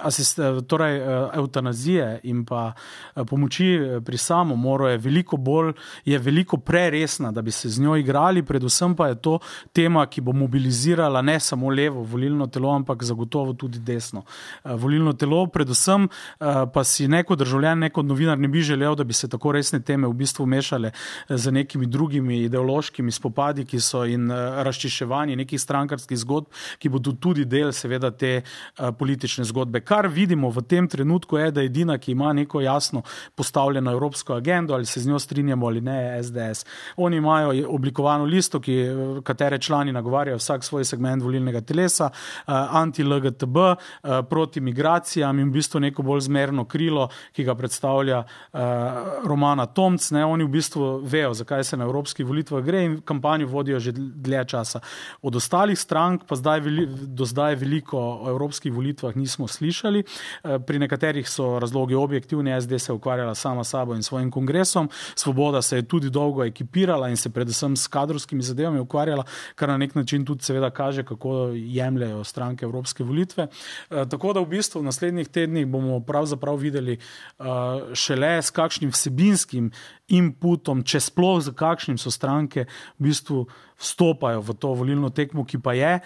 asist, torej, eutanazije in pa pomoči pri samomoru je veliko bolj, je veliko preresna, da bi se z njo igrali. Predvsem pa je to tema, ki bo mobilizirala ne samo levo volilno telo, ampak zagotovo tudi desno volilno telo. Predvsem pa si neko državljan, neko novinar ne bi želel, da bi se tako resne teme v bistvu mešale z nekimi drugimi ideološkimi spopadi, ki so in razčiščevanje nekih strankarskih zgodb, ki bodo tudi del seveda te politične zgodbe. Kar vidimo v tem trenutku je, da je edina, ki ima neko jasno postavljeno evropsko agendo, ali se z njo strinjamo ali ne, je S D S. Oni imajo oblikovano listo, ki, katere člani nagovarjajo vsak svoj segment volilnega telesa, anti-L G T B, proti migracijam in v bistvu neko bolj zmerno krilo, ki ga predstavlja uh, Romana Tomc. Ne, oni v bistvu vejo, zakaj se na evropskih volitvah gre in kampanjo vodijo že dlje časa. Od ostalih strank pa zdaj veli, do zdaj veliko o evropskih volitvah nismo slišali. Uh, pri nekaterih so razlogi objektivni, S D se je ukvarjala sama sabo in svojim kongresom, Svoboda se je tudi dolgo ekipirala in se predvsem s kadrovskimi zadevami ukvarjala, kar na nek način tudi seveda kaže, kako jemljajo stranke evropske volitve. Uh, tako da v bistvu v naslednjih tednih bomo pravzaprav videli uh, šele s kakšnim vsebinskim inputom, če sploh za kakšnim so stranke v bistvu vstopajo v to volilno tekmo, ki pa je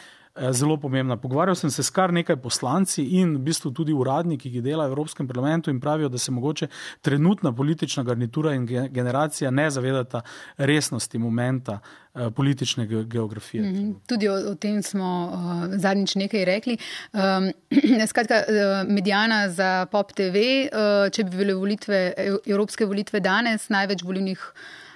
zelo pomembna. Pogovarjal sem se s kar nekaj poslanci in v bistvu tudi uradniki, ki delajo v Evropskem parlamentu in pravijo, da se mogoče trenutna politična garnitura in generacija ne zavedata resnosti momenta politične geografije. Mm-hmm. Tudi o, o tem smo uh, zadnjič nekaj rekli. Um, skratka, mediana za Pop T V, uh, če bi bile volitve, evropske volitve danes, največ volilnih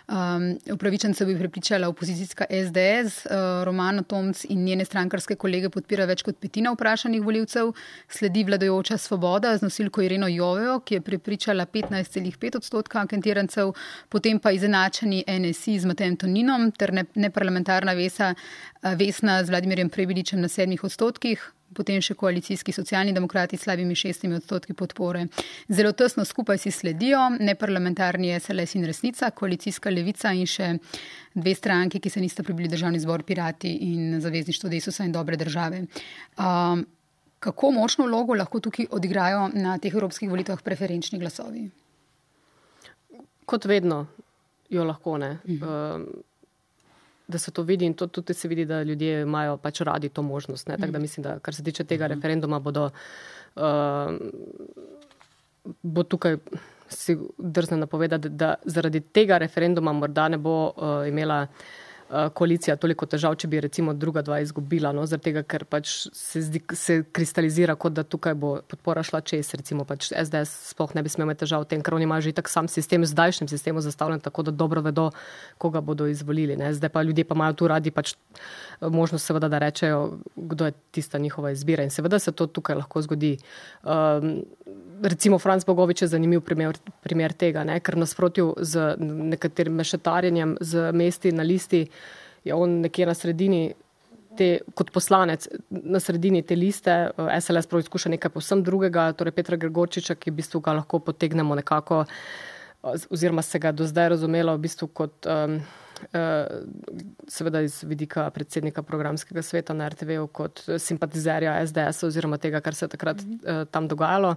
Um, upravičencev bi prepričala opozicijska S D S, uh, Romana Tomc in njene strankarske kolege podpira več kot petina vprašanih volivcev, sledi vladajoča Svoboda z nosilko Ireno Jovejo, ki je prepričala petnajst celih pet odstotka anketirancev, potem pa izenačeni N S I z Matejem Toninom ter ne, neparlamentarna Vesa, uh, Vesna z Vladimirjem Prebiličem na sedmih odstotkih. Potem še koalicijski socialni demokrati s slabimi šestimi odstotki podpore. Zelo tesno skupaj si sledijo neparlamentarni S L S in Resnica, koalicijska Levica in še dve stranki, ki se nista prebili Državni zbor, Pirati in Zavezništvo Desusa in Dobre države. Um, kako močno vlogo lahko tukaj odigrajo na teh evropskih volitvah preferenčni glasovi? Kot vedno jo lahko, ne. Mhm. Um, da se to vidi in to tudi se vidi, da ljudje imajo pač radi to možnost. Ne? Tako da mislim, da kar se tiče tega referenduma, bodo, uh, bo tukaj si drzne napovedati, da zaradi tega referenduma morda ne bo uh, imela uh, koalicija toliko težav, če bi recimo druga dva izgubila, no? Zaradi tega, ker pač se, zdi, se kristalizira, kot da tukaj bo podpora šla čez, recimo pač S D S sploh ne bi smel imeti težav v tem, ker oni imajo že tak sam sistem, zdajšnjem sistemu zastavljen, tako da dobro vedo, koga bodo izvolili. Ne? Zdaj pa ljudje pa imajo tu radi pač možnost seveda, da rečejo, kdo je tista njihova izbira in seveda se to tukaj lahko zgodi. Um, recimo Franc Bogovič je zanimiv primer, primer tega, ne? Ker nasprotju z nekaterim mešetarjenjem z mesti na listi je on nekje na sredini te, kot poslanec na sredini te liste, S L S prav izkuša nekaj povsem drugega, torej Petra Gregorčiča, ki v bistvu ga lahko potegnemo nekako, oziroma se ga do zdaj razumelo v bistvu kot um, seveda iz vidika predsednika programskega sveta na er te ve-u kot simpatizerja es de es oziroma tega, kar se je takrat tam dogajalo.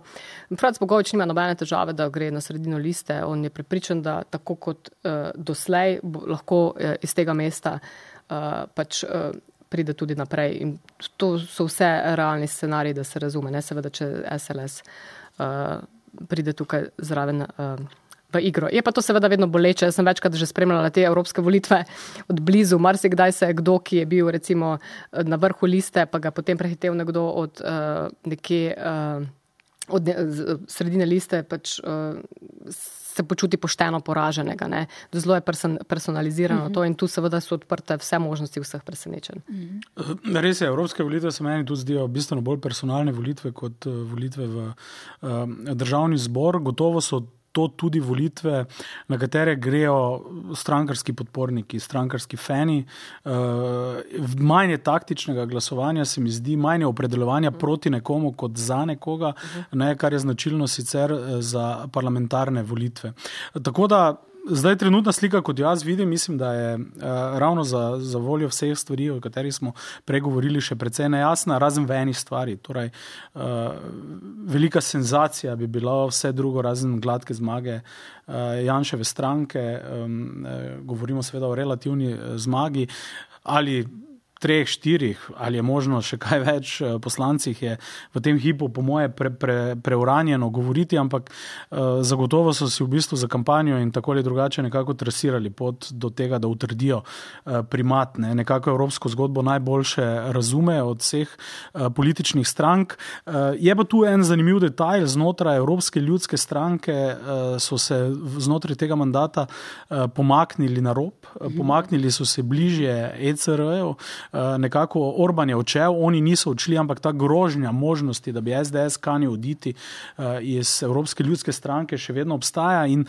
Franc Bogovič nima nobene težave, da gre na sredino liste. On je prepričan, da tako kot doslej lahko iz tega mesta pač pride tudi naprej. In to so vse realni scenariji, da se razume. Ne? Seveda, če es el es pride tukaj zraven v igro. Je pa to seveda vedno boleče. Jaz sem večkrat že spremljala te evropske volitve od blizu. Marsikdaj se je kdo, ki je bil recimo na vrhu liste, pa ga potem prehitev nekdo od uh, nekje uh, od ne, sredine liste, pač uh, se počuti pošteno poraženega. Ne? Zelo je person, personalizirano uh-huh. to in tu seveda so odprte vse možnosti vseh presenečenj. Uh-huh. Res je, evropske volitve se meni tudi zdijo bistveno bolj personalne volitve kot volitve v uh, državni zbor. Gotovo so to tudi volitve, na katere grejo strankarski podporniki, strankarski fani. Manj je taktičnega glasovanja, se mi zdi, manj je opredeljevanja proti nekomu kot za nekoga, ne, kar je značilno sicer za parlamentarne volitve. Tako da zdaj trenutna slika, kot jaz vidim, mislim, da je uh, ravno za, za voljo vseh stvari, o katerih smo pregovorili, še precej nejasna, razen v eni stvari. Torej, uh, velika senzacija bi bila vse drugo, razen gladke zmage uh, Janševe stranke. Um, uh, govorimo seveda o relativni uh, zmagi ali treh, štirih, ali je možno še kaj več poslancih, je v tem hipu po moje pre, pre, preuranjeno govoriti, ampak uh, zagotovo so si v bistvu za kampanjo in tako ali drugače nekako trasirali pot do tega, da utrdijo uh, primat. Ne. Nekako evropsko zgodbo najboljše razume od vseh uh, političnih strank. Uh, je pa tu en zanimiv detajl, znotraj Evropske ljudske stranke uh, so se znotraj tega mandata uh, pomaknili na rob, uh, pomaknili so se bližje e ce er-ju, nekako Orban je odšel, oni niso odšli, ampak ta grožnja možnosti, da bi es de es kanil oditi iz Evropske ljudske stranke, še vedno obstaja in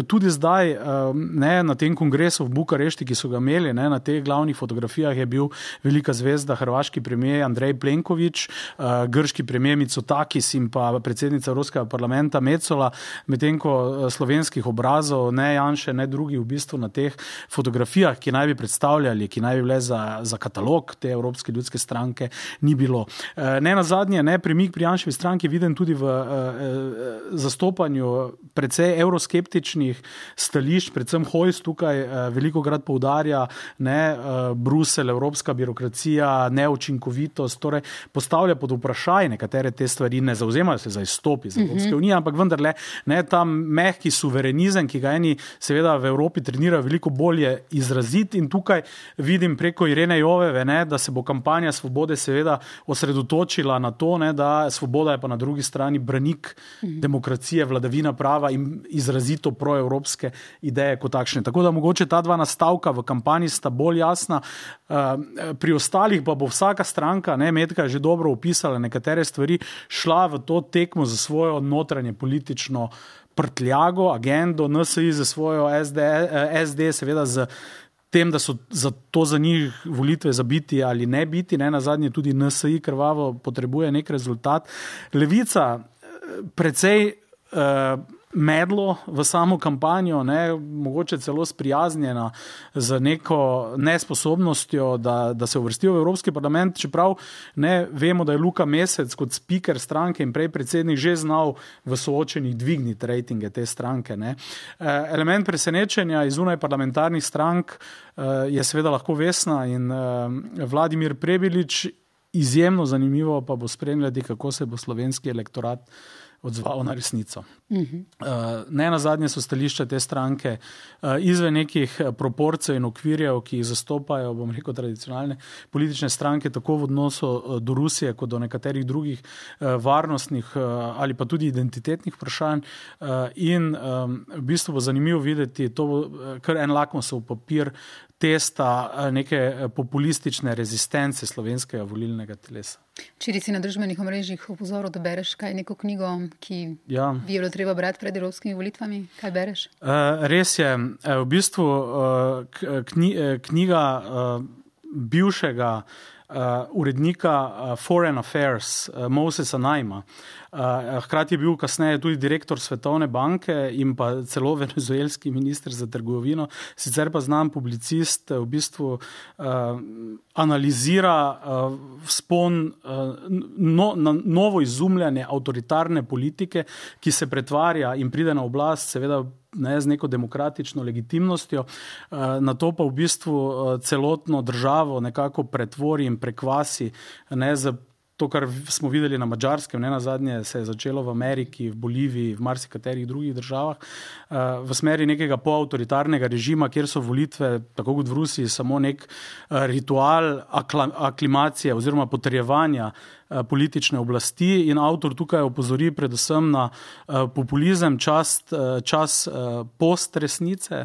tudi zdaj ne, na tem kongresu v Bukarešti, ki so ga imeli, ne, na teh glavnih fotografijah je bil velika zvezda hrvaški premijer Andrej Plenković, grški premijer Mitsotakis in pa predsednica Evropskega parlamenta Metsola, medtem ko slovenskih obrazov ne Janše, ne drugi v bistvu na teh fotografijah, ki naj bi predstavljali, ki naj bi bile za za katalog te Evropske ljudske stranke ni bilo. Ne nazadnje, ne, premik pri Janševi stranki viden tudi v eh, zastopanju precej evroskeptičnih stališč, predvsem Hojs tukaj eh, velikokrat poudarja, ne, eh, Bruselj, evropska birokracija, neučinkovitost, torej postavlja pod vprašaj nekatere te stvari, ne zauzemajo se za izstop iz Evropske unije, ampak vendarle, ne, ta mehki suverenizem, ki ga eni seveda v Evropi trenirajo veliko bolje izraziti in tukaj vidim preko Irene Joveve, ne, da se bo kampanja Svobode seveda osredotočila na to, ne, da Svoboda je pa na drugi strani branik demokracije, vladavina prava in izrazito proevropske ideje kot takšne. Tako da mogoče ta dva nastavka v kampanji sta bolj jasna. Pri ostalih pa bo vsaka stranka, ne, Metka je že dobro opisala nekatere stvari, šla v to tekmo za svojo notranje politično prtljago, agendo, en es i za svojo es de, es de seveda z tem, da so za to za njih volitve za biti ali ne biti, ne, na zadnje tudi en es i krvavo potrebuje nek rezultat. Levica precej uh, medlo v samo kampanjo, ne, mogoče celo sprijaznjena z neko nesposobnostjo, da, da se uvrstijo v Evropski parlament, čeprav ne vemo, da je Luka Mesec kot speaker stranke in prej predsednik že znal v soočenih dvigniti rejtinge te stranke. Ne. Element presenečenja iz zunaj parlamentarnih strank je seveda lahko Vesna in Vladimir Prebilič. Izjemno zanimivo pa bo spremljati, kako se bo slovenski elektorat odzval na resnico. Uh-huh. Ne nazadnje so stališča te stranke izven nekih proporcij in okvirjev, ki jih zastopajo, bom rekel, tradicionalne politične stranke, tako v odnosu do Rusije, kot do nekaterih drugih varnostnih ali pa tudi identitetnih vprašanj. In v bistvu bo zanimivo videti, to bo kar en lakmusov papir testa neke populistične rezistence slovenskega volilnega telesa. Včeraj si na družbenih omrežjih opozoril, da bereš kaj neko knjigo, ki ja. bi jo treba brati pred evropskimi volitvami. Kaj bereš? Uh, res je. V bistvu uh, knjiga uh, bivšega urednika uh, Foreign Affairs uh, Mosesa Naima. Uh, hkrati je bil kasneje tudi direktor Svetovne banke in pa celo venezuelski minister za trgovino, sicer pa znan publicist, v bistvu uh, analizira uh, vzpon uh, no, na novo izumljanje avtoritarne politike, ki se pretvarja in pride na oblast, seveda ne z neko demokratično legitimnostjo, na to pa v bistvu celotno državo nekako pretvori in prekvasi, ne za to, kar smo videli na Madžarskem, ne nazadnje se je začelo v Ameriki, v Boliviji, v marsikaterih drugih državah, v smeri nekega poautoritarnega režima, kjer so volitve, tako kot v Rusiji, samo nek ritual aklimacije oziroma potrjevanja politične oblasti, in avtor tukaj opozori predvsem na populizem, čas, čas postresnice,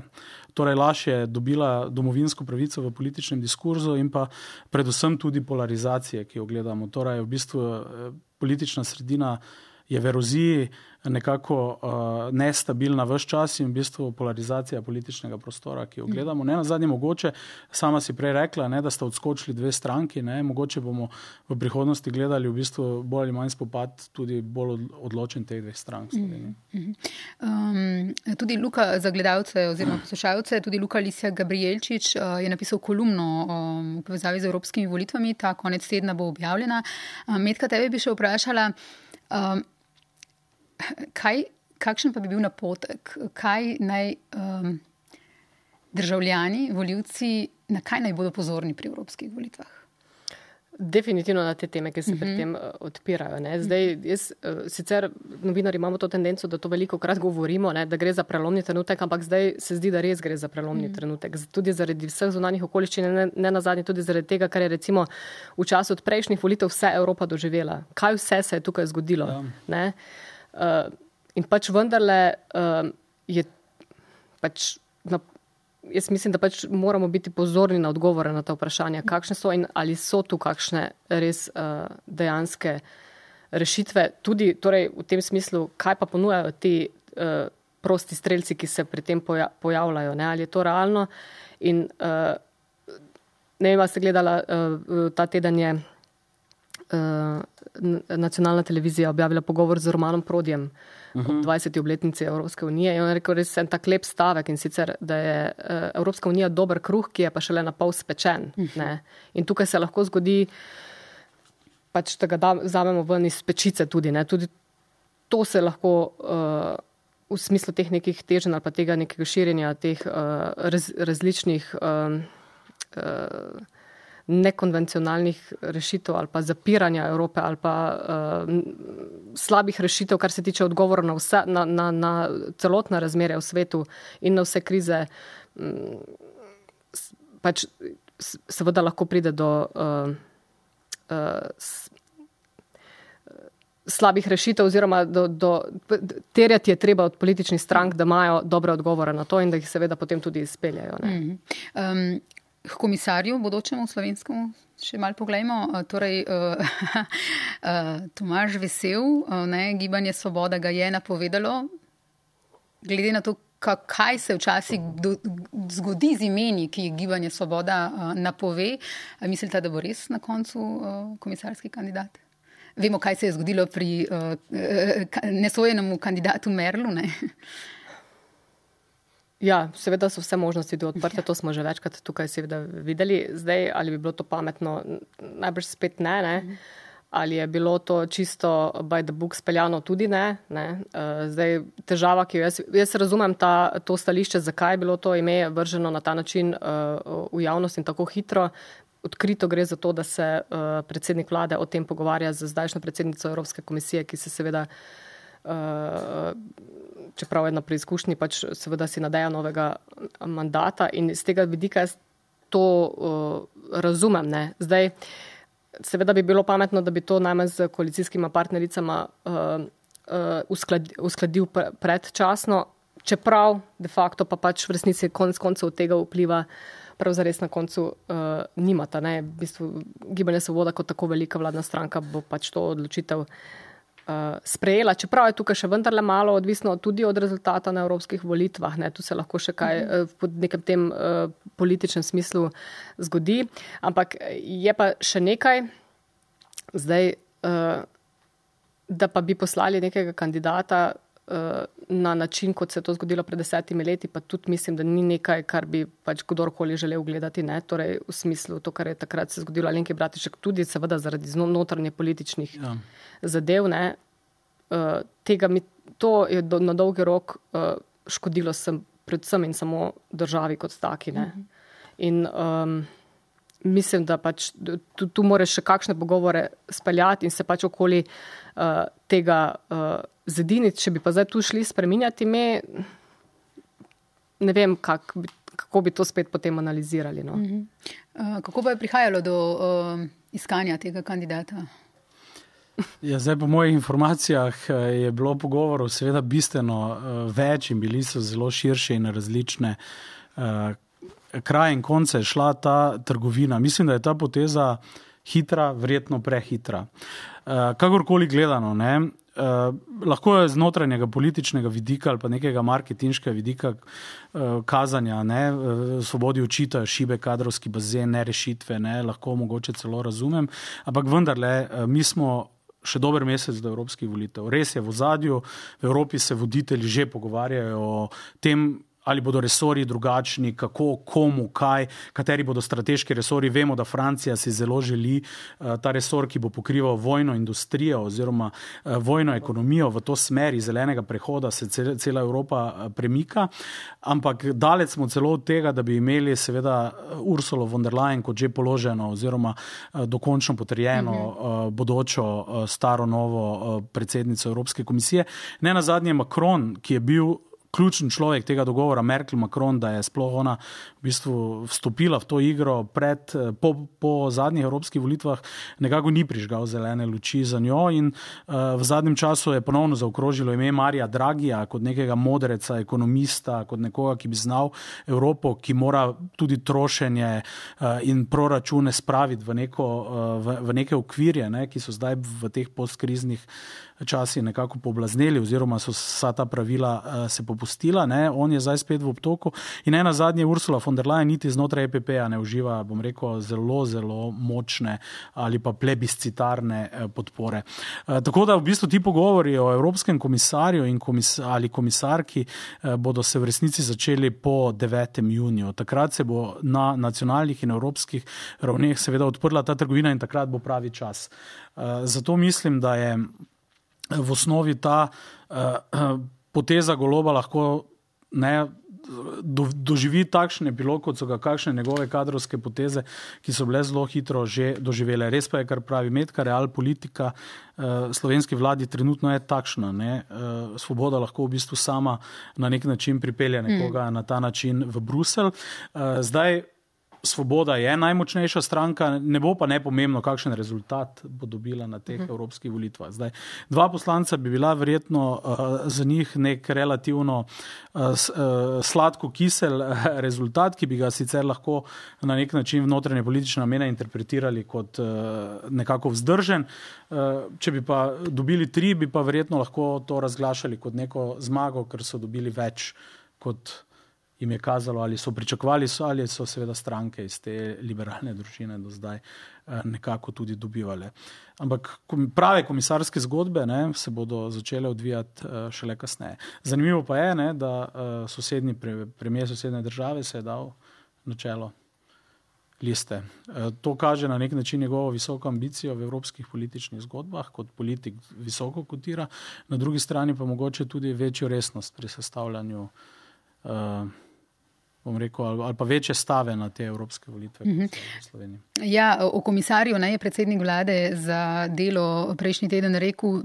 torej laž je dobila domovinsko pravico v političnem diskurzu in pa predvsem tudi polarizacije, ki jo gledamo. Torej v bistvu politična sredina je v eroziji, nekako uh, nestabilna ves čas in v bistvu polarizacija političnega prostora, ki jo gledamo. Ne, na zadnje mogoče, sama si prej rekla, ne, da sta odskočili dve stranki, ne, mogoče bomo v prihodnosti gledali v bistvu bolj ali manj spopad tudi bolj odločen teh dveh strank. Mm -hmm. um, tudi Luka, za gledalce oziroma poslušalce, tudi Luka Lisjak Gabrielčič uh, je napisal kolumno um, v povezavi z evropskimi volitvami, ta konec tedna bo objavljena. Um, Metka, tebe bi še vprašala, um, Kaj, kakšen pa bi bil napotek, kaj naj um, državljani, volivci, na kaj naj bodo pozorni pri evropskih volitvah? Definitivno na te teme, ki se uh-huh. pri tem uh, odpirajo. Ne. Zdaj, jaz, uh, sicer novinari imamo to tendenco, da to veliko krat govorimo, ne, da gre za prelomni trenutek, ampak zdaj se zdi, da res gre za prelomni uh-huh. trenutek. Tudi zaradi vseh zunanjih okoliščin, ne, ne nazadnje tudi zaradi tega, kar je recimo v času od prejšnjih volitev vse Evropa doživela. Kaj vse se je tukaj zgodilo? Ja. Ne? Uh, in pač vendarle uh, je pač, na, jaz mislim, da pač moramo biti pozorni na odgovore na ta vprašanja, kakšne so in ali so tu kakšne res uh, dejanske rešitve, tudi torej v tem smislu, kaj pa ponujajo ti uh, prosti strelci, ki se pri tem poja- pojavljajo, ne? Ali je to realno in uh, ne vem, ste gledala, uh, ta teden je Uh, nacionalna televizija objavila pogovor z Romanom Prodjem uh-huh. ob dvajseti obletnici Evropske unije in on je rekel res en tak lep stavek in sicer, da je uh, Evropska unija dober kruh, ki je pa šele na pol spečen. Uh-huh. Ne? In tukaj se lahko zgodi, pač, da ga da, vzamemo ven iz pečice tudi. Ne? Tudi to se lahko uh, v smislu teh nekih teženj ali pa tega nekega širjenja teh uh, raz, različnih uh, uh, nekonvencionalnih rešitev ali pa zapiranja Evrope ali pa uh, slabih rešitev, kar se tiče odgovora na, vse, na, na, na celotna razmerja v svetu in na vse krize, um, pač seveda lahko pride do uh, uh, s, slabih rešitev oziroma do, do, terjati je treba od političnih strank, da imajo dobre odgovore na to in da jih seveda potem tudi izpeljajo. Ne? Mm-hmm. Um, K komisarju bodočemu slovenskemu še malo poglejmo. Torej, uh, uh, Tomaž Vesel, uh, ne, Gibanje Svoboda ga je napovedalo. Glede na to, kaj se včasih do, zgodi z imeni, ki jih Gibanje Svoboda uh, napove, mislite, da bo res na koncu uh, komisarski kandidat? Vemo, kaj se je zgodilo pri uh, nesojenemu kandidatu Merlu, ne? Ja, seveda so vse možnosti odprte, to smo že večkrat tukaj seveda videli. Zdaj, ali bi bilo to pametno, najbrž spet ne, ne. Ali je bilo to čisto by the book speljano, tudi ne. ne. Zdaj, težava, ki jo jaz, jaz razumem ta, to stališče, zakaj je bilo to ime vrženo na ta način uh, v javnost in tako hitro. Odkrito gre za to, da se uh, predsednik vlade o tem pogovarja z zdajšnjo predsednico Evropske komisije, ki se seveda Uh, čeprav je na preizkušnji, pač seveda si nadeja novega mandata in z tega vidika jaz to uh, razumem. Ne. Zdaj, seveda bi bilo pametno, da bi to najmanj z koalicijskima partnericama uh, uh, uskladi, uskladil pre, predčasno, čeprav de facto pa pač v resnici konec koncev od tega vpliva prav zares na koncu uh, nimata. Ne. V bistvu Gibanje Svoboda kot tako velika vladna stranka bo pač to odločitev Uh, sprejela, čeprav je tukaj še vendarle malo odvisno tudi od rezultata na evropskih volitvah. Ne? Tu se lahko še kaj uh, pod nekem tem uh, političnem smislu zgodi. Ampak je pa še nekaj, zdaj, da pa bi poslali nekega kandidata na način, kot se je to zgodilo pred desetimi leti, pa tudi mislim, da ni nekaj, kar bi pač kdorkoli želel gledati, ne, torej v smislu to, kar je takrat se zgodilo Alenki Bratušek, tudi seveda zaradi notranje političnih ja. zadev, ne, tega mi, to je do, na dolgi rok škodilo sem predvsem in samo državi kot taki, ne. In um, mislim, da pač tu, tu moraš še kakšne pogovore speljati in se pač okoli uh, tega uh, zediniti. Če bi pa zdaj tu šli spreminjati ime, ne vem, kak, kako bi to spet potem analizirali. No. Uh-huh. uh, kako pa je prihajalo do uh, iskanja tega kandidata? Ja, zdaj po mojih informacijah je bilo pogovorov seveda bistveno uh, več in bili so zelo širše in različne uh, kraj in konce je šla ta trgovina. Mislim, da je ta poteza hitra, verjetno prehitra. Uh, kakorkoli gledano, ne, uh, lahko je z notranjega političnega vidika ali pa nekega marketinškega vidika uh, kazanja, ne, uh, svobodi očitajo šibe kadrovski bazen, ne rešitve, ne, lahko mogoče celo razumem, ampak vendarle uh, mi smo še dober mesec do evropskih volitev. Res je, v ozadju, v Evropi se voditelji že pogovarjajo o tem, ali bodo resorji drugačni, kako, komu, kaj, kateri bodo strateški resorji. Vemo, da Francija si zelo želi uh, ta resor, ki bo pokrival vojno industrijo oziroma uh, vojno ekonomijo v to smeri zelenega prehoda, se cel, cela Evropa uh, premika. Ampak daleč smo celo od tega, da bi imeli seveda Ursulo von der Leyen kot že položeno oziroma uh, dokončno potrjeno uh, bodočo uh, staro novo uh, predsednico Evropske komisije. Ne nazadnje Macron, ki je bil ključen človek tega dogovora, Merkel Macron, da je sploh ona v bistvu vstopila v to igro pred, po, po zadnjih evropskih volitvah, nekako ni prižgal zelene luči za njo in uh, v zadnjem času je ponovno zaokrožilo ime Marija Dragija kot nekega modreca, ekonomista, kot nekoga, ki bi znal Evropo, ki mora tudi trošenje uh, in proračune spraviti v, neko, uh, v, v neke okvirje, ne, ki so zdaj v teh postkriznih časi nekako poblazneli oziroma so vsa ta pravila uh, se popustila, ne, on je zdaj spet v obtoku in ena zadnje Ursula von der Leyen niti znotraj E P P-a ne uživa, bom rekel, zelo, zelo močne ali pa plebiscitarne uh, podpore. Uh, tako da v bistvu ti pogovori o evropskem komisarju in komis- ali komisarki uh, bodo se v resnici začeli po devetem juniju. Takrat se bo na nacionalnih in evropskih ravneh seveda odprla ta trgovina in takrat bo pravi čas. Uh, zato mislim, da je v osnovi ta uh, poteza Goloba lahko ne, do, doživi takšen epilog, kot so ga kakšne njegove kadrovske poteze, ki so bile zelo hitro že doživele. Res pa je, kar pravi Metka, real politika uh, slovenski vladi trenutno je takšna. Ne? Uh, svoboda lahko v bistvu sama na nek način pripelje nekoga mm. na ta način v Bruselj. Uh, zdaj Svoboda je najmočnejša stranka, ne bo pa nepomembno, kakšen rezultat bo dobila na teh uh-huh. evropskih volitvah. Zdaj, dva poslanca bi bila verjetno uh, za njih nek relativno uh, s, uh, sladko-kisel uh, rezultat, ki bi ga sicer lahko na nek način v notranje politične namene interpretirali kot uh, nekako vzdržen. Uh, če bi pa dobili tri, bi pa verjetno lahko to razglašali kot neko zmago, ker so dobili več kot jim je kazalo, ali so pričakovali, ali so seveda stranke iz te liberalne družine do zdaj nekako tudi dobivale. Ampak prave komisarske zgodbe, ne, se bodo začele odvijati šele kasneje. Zanimivo pa je, ne, da sosednji premijer sosednje države se je dal na čelo liste. To kaže na nek način njegovo visoko ambicijo v evropskih političnih zgodbah, kot politik visoko kotira, na drugi strani pa mogoče tudi večjo resnost pri sestavljanju uh, bom rekel, ali, ali pa večje stave na te evropske volitve uh-huh. v Sloveniji. Ja, o komisarju ne, je predsednik vlade za delo prejšnji teden rekel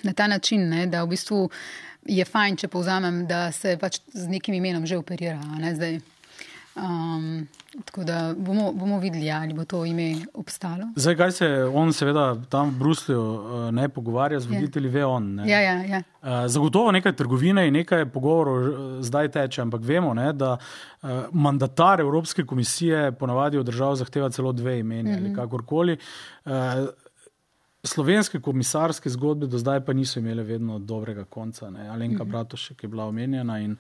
na ta način, ne, da v bistvu je fajn, če povzamem, da se pač z nekim imenom že operira. Ne, zdaj. Um, tako da bomo, bomo videli, ali bo to ime obstalo. Zdaj, kaj se on seveda tam v Bruslju ne pogovarja z voditelji, ve on. Ne. Ja, ja, ja. Zagotovo nekaj trgovine in nekaj pogovorov zdaj teče, ampak vemo, ne, da mandatar Evropske komisije ponavadi od držav zahteva celo dve imeni mm-hmm. ali kakorkoli. Slovenske komisarske zgodbe do zdaj pa niso imele vedno dobrega konca. Ne. Alenka mm-hmm. Bratušek je bila omenjena in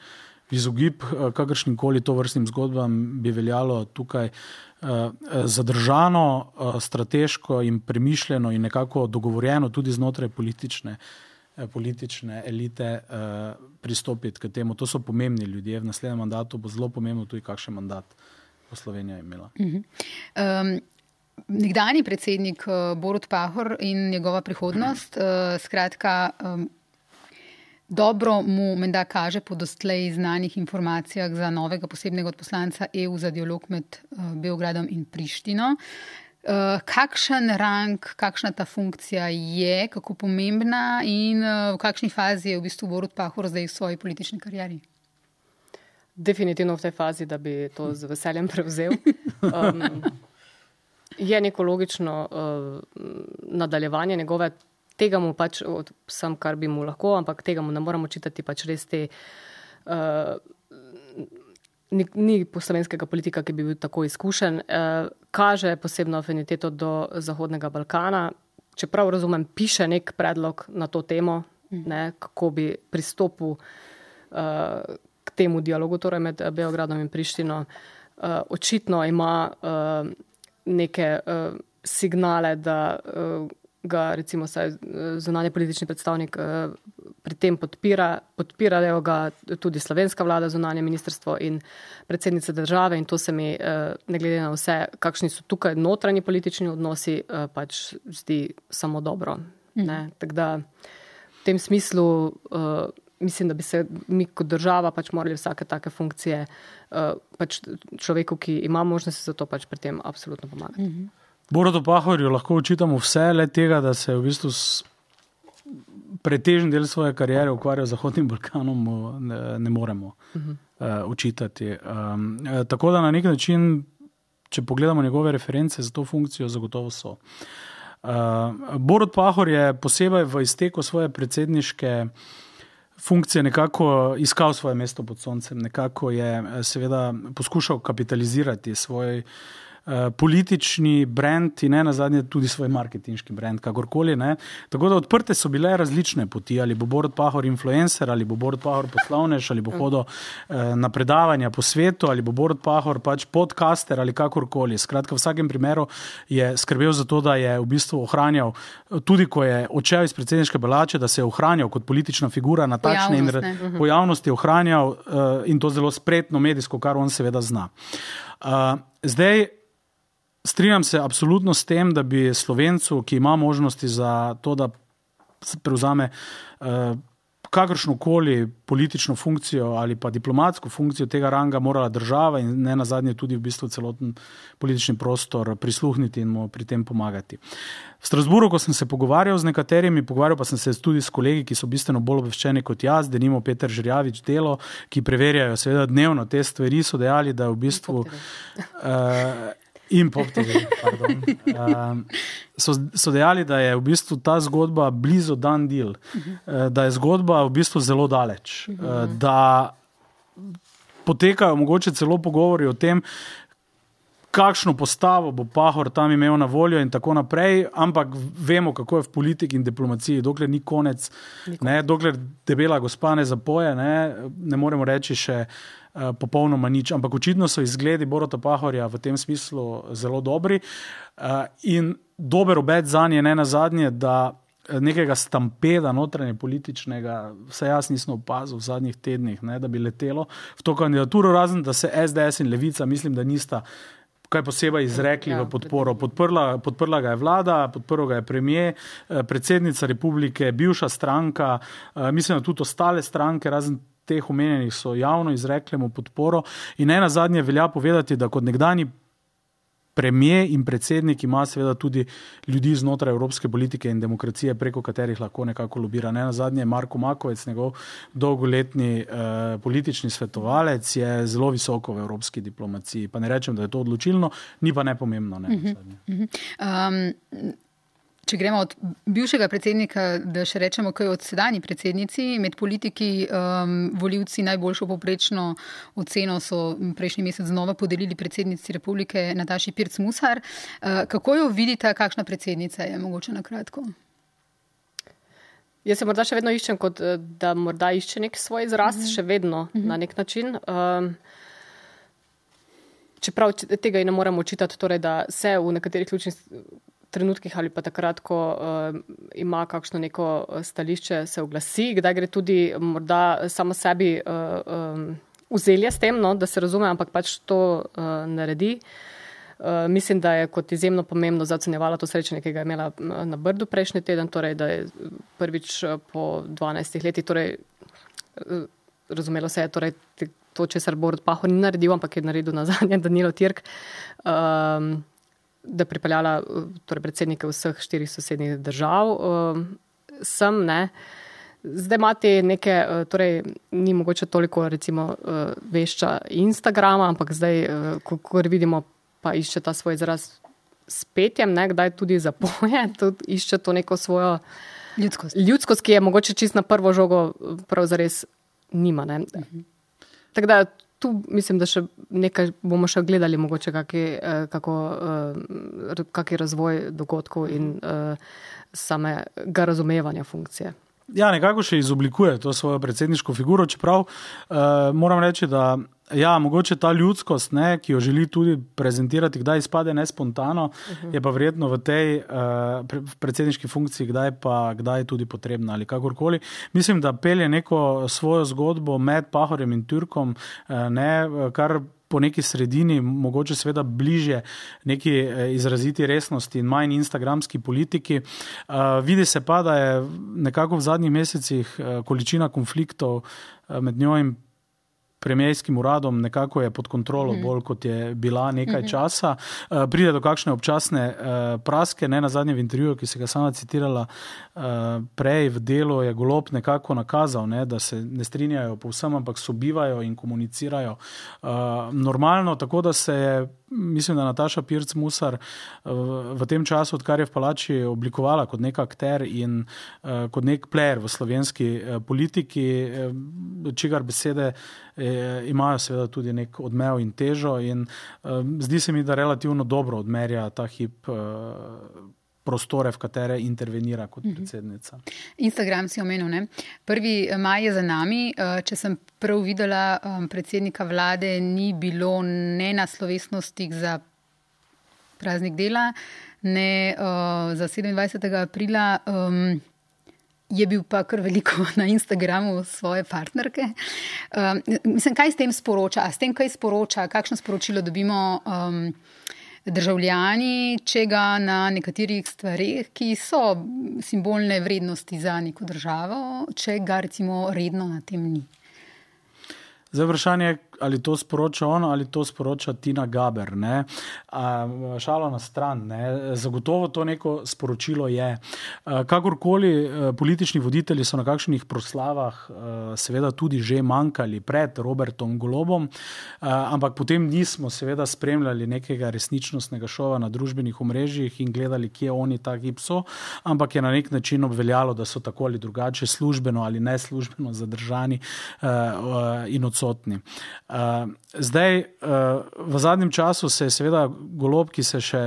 izogib kakršnim koli to vrstnim zgodbam bi veljalo tukaj zadržano, strateško in premišljeno in nekako dogovorjeno tudi znotraj politične, politične elite pristopiti k temu. To so pomembni ljudje. V naslednjem mandatu bo zelo pomembno tudi, kakšen mandat bo Slovenija imela. Uh-huh. Um, nekdanji predsednik Borut Pahor in njegova prihodnost, uh, skratka, um, dobro mu menda kaže po doslej znanih informacijah za novega posebnega odposlanca E U za dialog med uh, Beogradom in Prištino. Uh, kakšen rang, kakšna ta funkcija je, kako pomembna in uh, v kakšni fazi je v bistvu Borut Pahor zdaj v svoji politični karieri? Definitivno v tej fazi, da bi to z veseljem prevzel. Um, je neko logično uh, nadaljevanje njegove. Tega mu pač, sam kar bi mu lahko, ampak tega mu ne moramo čitati, pač res te, uh, ni, ni slovenskega politika, ki bi bil tako izkušen. Uh, kaže posebno afiniteto do Zahodnega Balkana. Čeprav razumem, piše nek predlog na to temo, mm. ne, kako bi pristopil uh, k temu dialogu, torej med Beogradom in Prištino. Uh, očitno ima uh, neke uh, signale, da uh, ga recimo saj zunanje politični predstavnik uh, pri tem podpira. Podpirajo ga tudi slovenska vlada, zunanje ministrstvo in predsednica države in to se mi, uh, ne glede na vse, kakšni so tukaj notranji politični odnosi, uh, pač zdi samo dobro. Mm. Ne? Tako da v tem smislu uh, mislim, da bi se mi kot država pač morali vsake take funkcije uh, pač človeku, ki ima možnosti za to, pač pri tem absolutno pomagati. Mm-hmm. Borutu Pahorju lahko očitamo vse, le tega, da se v bistvu pretežen del svoje kariere ukvarjal z Zahodnim Balkanom, ne, ne moremo uh-huh. uh, očitati. Um, uh, tako da na nek način, če pogledamo njegove reference za to funkcijo, zagotovo so. Uh, Borut Pahor je posebej v izteku svoje predsedniške funkcije nekako iskal svoje mesto pod soncem, nekako je seveda poskušal kapitalizirati svoj politični brand in ne nazadnje tudi svoj marketinški brand, kakorkoli. Ne. Tako da odprte so bile različne poti, ali bo Borut Pahor influencer, ali bo Borut Pahor poslovnež, ali bo hodil eh, na predavanja po svetu, ali bo Borut Pahor pač podcaster ali kakorkoli. Skratka, v vsakem primeru je skrbel za to, da je v bistvu ohranjal, tudi ko je odšel iz predsedniške palače, da se je ohranjal kot politična figura na takšne in uh-huh. pojavnosti ohranjal uh, in to zelo spretno medijsko, kar on seveda zna. Uh, zdaj, strinjam se absolutno s tem, da bi Slovencu, ki ima možnosti za to, da prevzame uh, kakršnokoli politično funkcijo ali pa diplomatsko funkcijo tega ranga, morala država in ne nazadnje tudi v bistvu celoten politični prostor prisluhniti in mu pri tem pomagati. V Strasbourgu, ko sem se pogovarjal z nekaterimi, pogovarjal pa sem se tudi s kolegi, ki so bistveno bolj obveščeni kot jaz, denimo Peter Žerjavič Delo, ki preverjajo seveda dnevno te stvari, so dejali, da v bistvu in Pop T V, pardon. Uh, so, so dejali, da je v bistvu ta zgodba blizu done deal, uh, da je zgodba v bistvu zelo daleč, uh, da potekajo mogoče celo pogovori o tem, kakšno postavo bo Pahor tam imel na voljo in tako naprej, ampak vemo, kako je v politiki in diplomaciji, dokler ni konec, ne, dokler debela gospa ne zapoje, ne, ne moremo reči še uh, popolnoma nič, ampak očitno so izgledi Boruta Pahorja v tem smislu zelo dobri uh, in dober obet zanje ne nazadnje, da nekega stampeda notranje političnega, vse jaz nisem opazil v zadnjih tednih, ne, da bi letelo v to kandidaturo, razen da se S D S in Levica, mislim, da nista kaj posebej izrekli ja, v podporo. Podprla, podprla ga je vlada, podprl ga je premier, predsednica republike, bivša stranka, mislim, da tudi ostale stranke, razen teh omenjenih, so javno izrekli mu podporo in ne nazadnje velja povedati, da kot nekdanji premier in predsednik ima seveda tudi ljudi znotraj evropske politike in demokracije, preko katerih lahko nekako lobira. Ne nazadnje Marko Makovec, njegov dolgoletni eh, politični svetovalec, je zelo visoko v evropski diplomaciji. Pa ne rečem, da je to odločilno, ni pa nepomembno. Ne, uh-huh. um, če gremo od bivšega predsednika, da še rečemo, kaj od sedanji predsednici, med politiki um, volivci najboljšo poprečno oceno so prejšnji mesec znova podelili predsednici republike Nataši Pirc Musar. Uh, kako jo vidite, kakšna predsednica je, mogoče na kratko? Jaz se morda še vedno iščem, kot da morda išče nek svoj izraz, mm-hmm. še vedno mm-hmm. na nek način. Um, čeprav tega ne moramo očitati, torej, da se v nekaterih ključnih trenutkih ali pa takrat, ko uh, ima kakšno neko stališče, se oglasi, kdaj gre tudi morda samo sebi uh, um, vzelje s tem, no, da se razume, ampak pač to uh, naredi. Uh, mislim, da je kot izjemno pomembno zaocenjevala to srečanje, ki ga je imela na Brdu prejšnji teden, torej, da je prvič po dvanajstih letih, torej, uh, razumelo se je, torej, to, česar Borut Pahor ni naredil, ampak je naredil nazadnje Danilo Tirk, um, da je pripeljala torej, predsednike vseh štirih sosednjih držav um, sem, ne. Zdaj imate neke, torej, ni mogoče toliko, recimo, uh, vešča Instagrama, ampak zdaj, uh, ko, ko vidimo, pa išče ta svoj izraz s petjem, ne, kdaj tudi zapoje, tudi išče to neko svojo ljudskost, ljudskost ki je mogoče čist na prvo žogo prav zares nima. Ne. Mhm. Tako da tu mislim, da še nekaj bomo še gledali, mogoče kaki, kako, kaki razvoj dogodkov in samega razumevanja funkcije. Ja, nekako še izoblikuje to svojo predsedniško figuro, čeprav uh, moram reči, da ja, mogoče ta ljudskost, ne, ki jo želi tudi prezentirati, kdaj izpade nespontano, uh-huh. je pa verjetno v tej uh, predsedniški funkciji, kdaj pa kdaj tudi potrebna ali kakorkoli. Mislim, da pelje neko svojo zgodbo med Pahorjem in Türkom, uh, ne, kar po neki sredini, mogoče seveda bliže neki izraziti resnosti in manj instagramski politiki. Uh, vidi se pa, da je nekako v zadnjih mesecih uh, količina konfliktov uh, med njo in premijejskim uradom nekako je pod kontrolo mm-hmm. bolj, kot je bila nekaj mm-hmm. časa. Uh, pride do kakšne občasne uh, praske, ne na zadnjem v intervjuju, ki se ga sama citirala uh, prej v Delu, je Golob nekako nakazal, ne, da se ne strinjajo povsem, ampak sobivajo in komunicirajo uh, normalno, tako da se je, mislim, da Nataša Pirc Musar uh, v tem času, odkar je v palači oblikovala kot nek akter in uh, kot nek player v slovenski uh, politiki, uh, čigar besede imajo seveda tudi nek odmev in težo in um, zdi se mi, da relativno dobro odmerja ta hip uh, prostore, v katere intervenira kot predsednica. Instagram si omenil, ne? Prvi maj je za nami. Če sem prav videla, predsednika vlade ni bilo ne na slovesnostih za praznik dela, ne uh, za sedemindvajsetega aprila, um, je bil pa kar veliko na Instagramu svoje partnerke. Um, mislim, kaj s tem sporoča? A s tem kaj sporoča? Kakšno sporočilo dobimo um, državljani, če ga na nekaterih stvareh, ki so simbolne vrednosti za neko državo, če ga recimo redno na tem ni? Zdaj vprašanje, ali to sporoča on, ali to sporoča Tina Gaber. Ne? A, šalo na stran. Ne? Zagotovo to neko sporočilo je. A, kakorkoli politični voditelji so na kakšnih proslavah a, seveda tudi že manjkali pred Robertom Golobom, a, ampak potem nismo seveda spremljali nekega resničnostnega šova na družbenih omrežjih in gledali, kje oni ta hip so, ampak je na nek način obveljalo, da so tako ali drugače službeno ali neslužbeno zadržani a, a, in odsotni. Uh, zdaj, uh, v zadnjem času se je seveda Golob, ki se še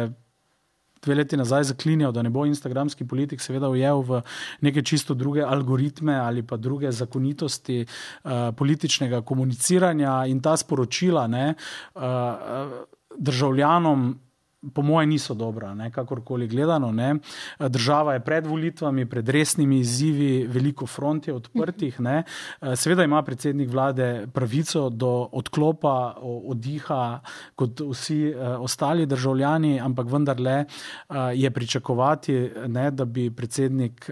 dve leti nazaj zaklinjal, da ne bo instagramski politik, seveda ujel v neke čisto druge algoritme ali pa druge zakonitosti uh, političnega komuniciranja in ta sporočila ne, uh, državljanom po moje niso dobra, ne, kakorkoli gledano. Ne. Država je pred volitvami, pred resnimi izzivi, veliko front je odprtih. Ne. Seveda ima predsednik vlade pravico do odklopa, oddiha, kot vsi ostali državljani, ampak vendarle je pričakovati, ne, da bi predsednik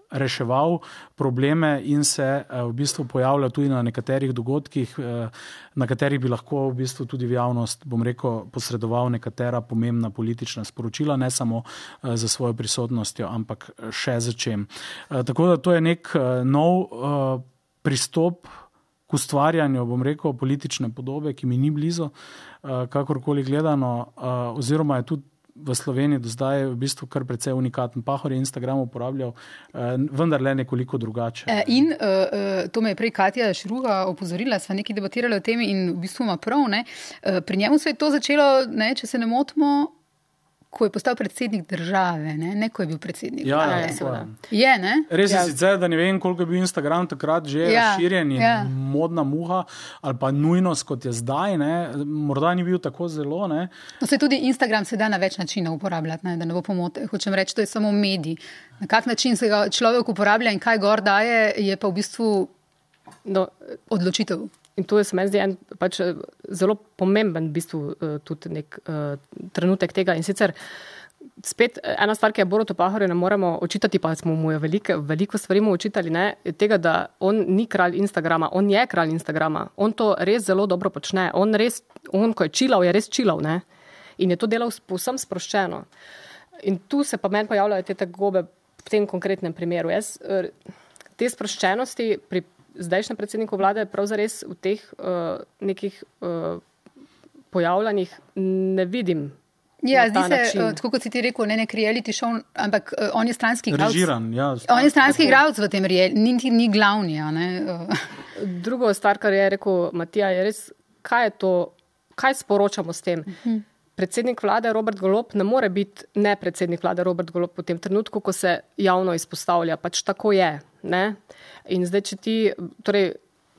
reševal probleme in se v bistvu pojavlja tudi na nekaterih dogodkih, na katerih bi lahko v bistvu tudi v javnost, bom rekel, posredoval nekatera pomembna politična sporočila, ne samo za svojo prisotnostjo, ampak še za čem. Tako da to je nek nov pristop k ustvarjanju, bom rekel, politične podobe, ki mi ni blizu, kakorkoli gledano, oziroma je tudi v Sloveniji do zdaj v bistvu kar precej unikaten. Pahor je Instagram uporabljal, vendar le nekoliko drugače. In uh, to me je prej Katja Šruga opozorila, sva nekaj debatirali o tem in v bistvu ima prav. Ne? Pri njemu se je to začelo, ne, če se ne motimo, ko je postal predsednik države, ne, ne ko je bil predsednik Ja, vlade. ja, seveda. Je, ne? Res je Ja. sicer, da ne vem, koliko je bil Instagram takrat že Ja, razširjen in ja. modna muha, ali pa nujnost, kot je zdaj, ne, morda ni bil tako zelo, ne. No, se tudi Instagram se da na več načinov uporabljati, ne, da ne bo pomote. Hočem reči, to je samo medij. Na kak način se ga človek uporablja in kaj gor daje, je pa v bistvu No, odločitev. in to je se meni zdi en pač eh, zelo pomemben v bistvu eh, tudi nek uh, trenutek tega. In sicer spet eh, ena stvar, ki je Borutu Pahorju ne moremo očitati, pa smo mu jo veliko, veliko stvari mu očitali, ne, je tega, da on ni kralj Instagrama, on je kralj Instagrama. On to res zelo dobro počne. On res, on ko je čilav, je res čilav, ne. In je to delal povsem sproščeno. In tu se pa meni pojavljajo te tegobe v tem konkretnem primeru. Jaz eh, te sproščenosti pri zdajšnjem predsedniku vlade prav zares v teh uh, nekih uh, pojavljanjih ne vidim. Ja, na ta zdi se, način. uh, tako kot si ti rekel, ne nek reality show, ampak uh, on je stranski igralec. Režiran, ja. On je stranski igralec v tem reality, ni, ni glavni. A ne? Uh. Drugo stvar, kar je rekel Matija, je res, kaj je to, kaj sporočamo s tem. Uh-huh. Predsednik vlade Robert Golob ne more biti ne predsednik vlade Robert Golob v tem trenutku, ko se javno izpostavlja. Pač tako je. Ne? In zdaj, če ti, torej,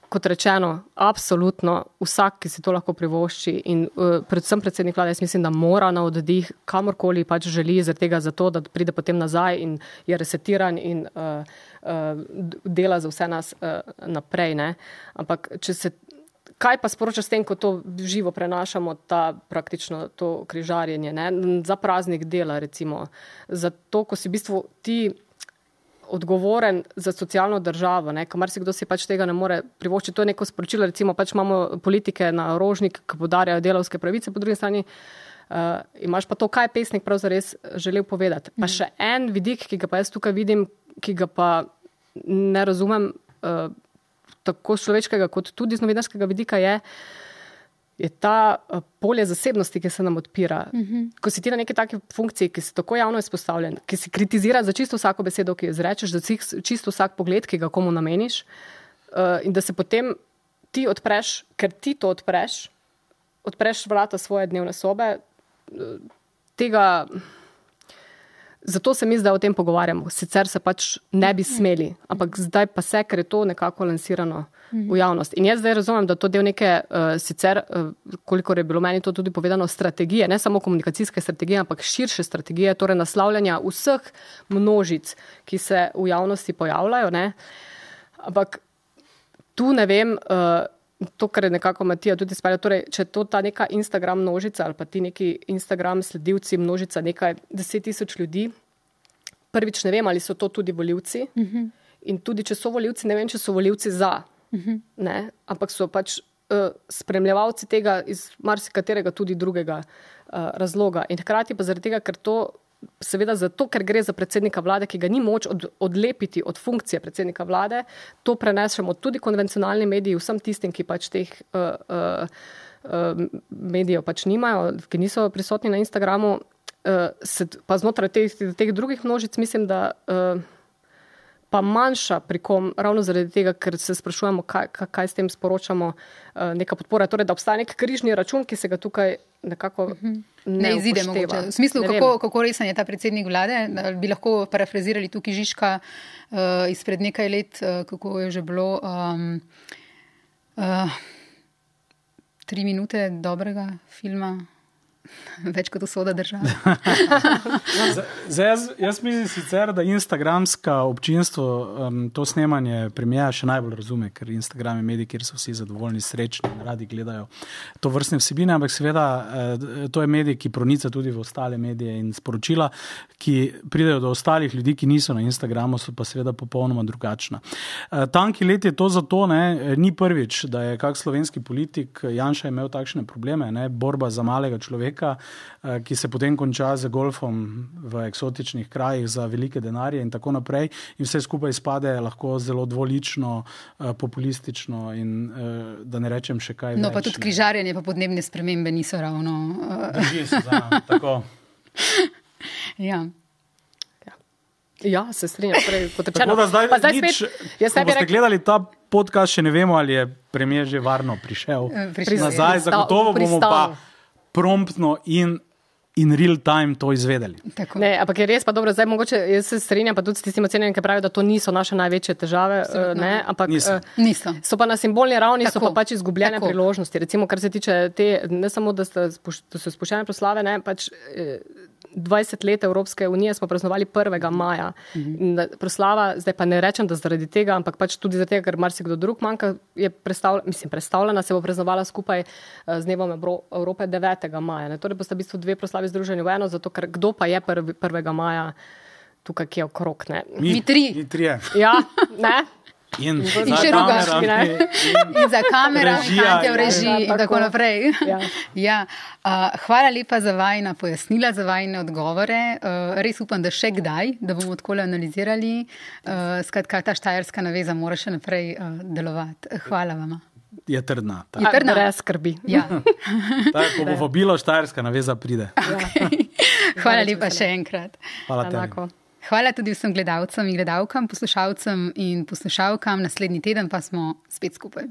kot rečeno, absolutno vsak, ki si to lahko privošči in uh, predvsem predsednik vlade, jaz mislim, da mora na oddih kamorkoli pač želi, zaradi tega zato, da pride potem nazaj in je resetiran in uh, uh, dela za vse nas uh, naprej. Ne? Ampak, če se kaj pa sporoča s tem, ko to živo prenašamo, ta praktično to križarjenje, ne? Za praznik dela, recimo. Za to, ko si v bistvu ti odgovoren za socialno državo, ne? Kamar si kdo si pač tega ne more privoščiti. To je neko sporočilo, recimo pač imamo politike na Rožnik, ki podarjajo delavske pravice, po drugi strani uh, imaš pa to, kaj je pesnik prav zares želel povedati. Pa še en vidik, ki ga pa jaz tukaj vidim, ki ga pa ne razumem, uh, tako človeškega kot tudi z novinarskega vidika je, je ta polje zasebnosti, ki se nam odpira. Uh-huh. Ko si ti na neki taki funkciji, ki si tako javno izpostavljen, ki si kritizira za čisto vsako besedo, ki jo izrečeš, za čisto vsak pogled, ki ga komu nameniš, uh, in da se potem ti odpreš, ker ti to odpreš, odpreš vrata svoje dnevne sobe, uh, tega... Zato se mi zdaj o tem pogovarjamo. Sicer se pač ne bi smeli, ampak zdaj pa se, ker je to nekako lansirano v javnost. In jaz zdaj razumem, da to del neke uh, sicer, uh, kolikor je bilo meni to tudi povedano, strategije, ne samo komunikacijske strategije, ampak širše strategije, torej naslavljanja vseh množic, ki se v javnosti pojavljajo. Ne? Ampak tu ne vem, uh, to, kar je nekako Matija tudi spalja, torej, če to ta neka Instagram množica ali pa ti neki Instagram sledilci množica nekaj deset tisoč ljudi, prvič ne vem, ali so to tudi volivci uh-huh. in tudi, če so volivci, ne vem, če so volivci za, uh-huh. ne, ampak so pač uh, spremljevalci tega iz marsikaterega tudi drugega uh, razloga. In hkrati pa zaradi tega, ker to seveda zato, ker gre za predsednika vlade, ki ga ni moč od, odlepiti od funkcije predsednika vlade, to prenesemo tudi konvencionalni mediji, vsem tistim, ki pač teh uh, uh, uh, medijev pač nimajo, ki niso prisotni na Instagramu, uh, se, pa znotraj teh, teh drugih množic mislim, da uh, pa manjša pri kom, ravno zaradi tega, ker se sprašujemo, kaj, kaj s tem sporočamo, uh, neka podpora, torej, da obstaja nek križni račun, ki se ga tukaj nekako ne, ne izide mogoče. V smislu, kako, kako resen je ta predsednik vlade, bi lahko parafrazirali tukaj Žižka uh, izpred nekaj let, uh, kako je že bilo um, uh, tri minute dobrega filma, več kot usoda države. Zdaj, jaz, jaz mislim sicer, da instagramska občinstvo um, to snemanje premiera še najbolj razume, ker Instagram je medij, kjer so vsi zadovoljni, srečni, radi gledajo to vrstne vsebine, ampak seveda to je medij, ki pronica tudi v ostale medije in sporočila, ki pridejo do ostalih ljudi, ki niso na Instagramu, so pa seveda popolnoma drugačna. Tanki let je to zato, ne, ni prvič, da je kak slovenski politik, Janša imel takšne probleme, ne, borba za malega človeka, ki se potem konča z golfom v eksotičnih krajih za velike denarje in tako naprej in vse skupaj spade lahko zelo dvolično, populistično in da ne rečem še kaj več. No pa tudi križarjenje pa podnebne spremembe niso ravno... Drži se, da, tako. Ja. Ja, se strinjam. Tako da zdaj, pa zdaj nič, spet, ko boste rek... gledali ta podcast, še ne vemo, ali je premijer že varno prišel. Prišel nazaj, je. zagotovo bomo Pristal. pa promptno in in real time to izvedeli. Ne, ampak je res pa dobro, zdaj mogoče, jaz se strinjam pa tudi s tistim ocenjenjem, ki pravijo, da to niso naše največje težave, ne, ampak Niso. Niso. so pa na simbolni ravni, Tako. so pa pač izgubljene Tako. priložnosti. Recimo, kar se tiče te, ne samo, da, sta, spuš- da so spuščene proslave, ne, pač eh, dvajset let Evropske unije smo praznovali prvega maja. In da proslava, zdaj pa ne rečem, da zaradi tega, ampak pač tudi zaradi tega, ker marsikdo drug manjka, je predstavljena, mislim, predstavljena, se bo praznovala skupaj eh, z dnevom Evro- Evrope devetega maja. Ne. Torej bosta v bistvu dve proslavi združeni v eno, zato ker kdo pa je prvi, prvega maja tukaj, ki je okrog, ne. Mi tri. Mi trije. Ja, ne? In, In še rugaški, ne? In za kamera, Režija, fantje v ja. režiji Ja, in tako tako. naprej. Ja. Ja. Uh, hvala lepa za vajna pojasnila, za vajne odgovore. Uh, res upam, da še kdaj, da bomo odkole analizirali. Uh, skratka, ta štajerska naveza mora še naprej uh, delovati. Hvala vama. Je trdna. Je Ta, trdna? Brez skrbi. Ja. ta, ko bo vabilo, štajerska naveza pride. Hvala lepa še enkrat. Hvala tebi. Enako. Hvala tudi vsem gledalcem in gledalkam, poslušalcem in poslušalkam. Naslednji teden pa smo spet skupaj.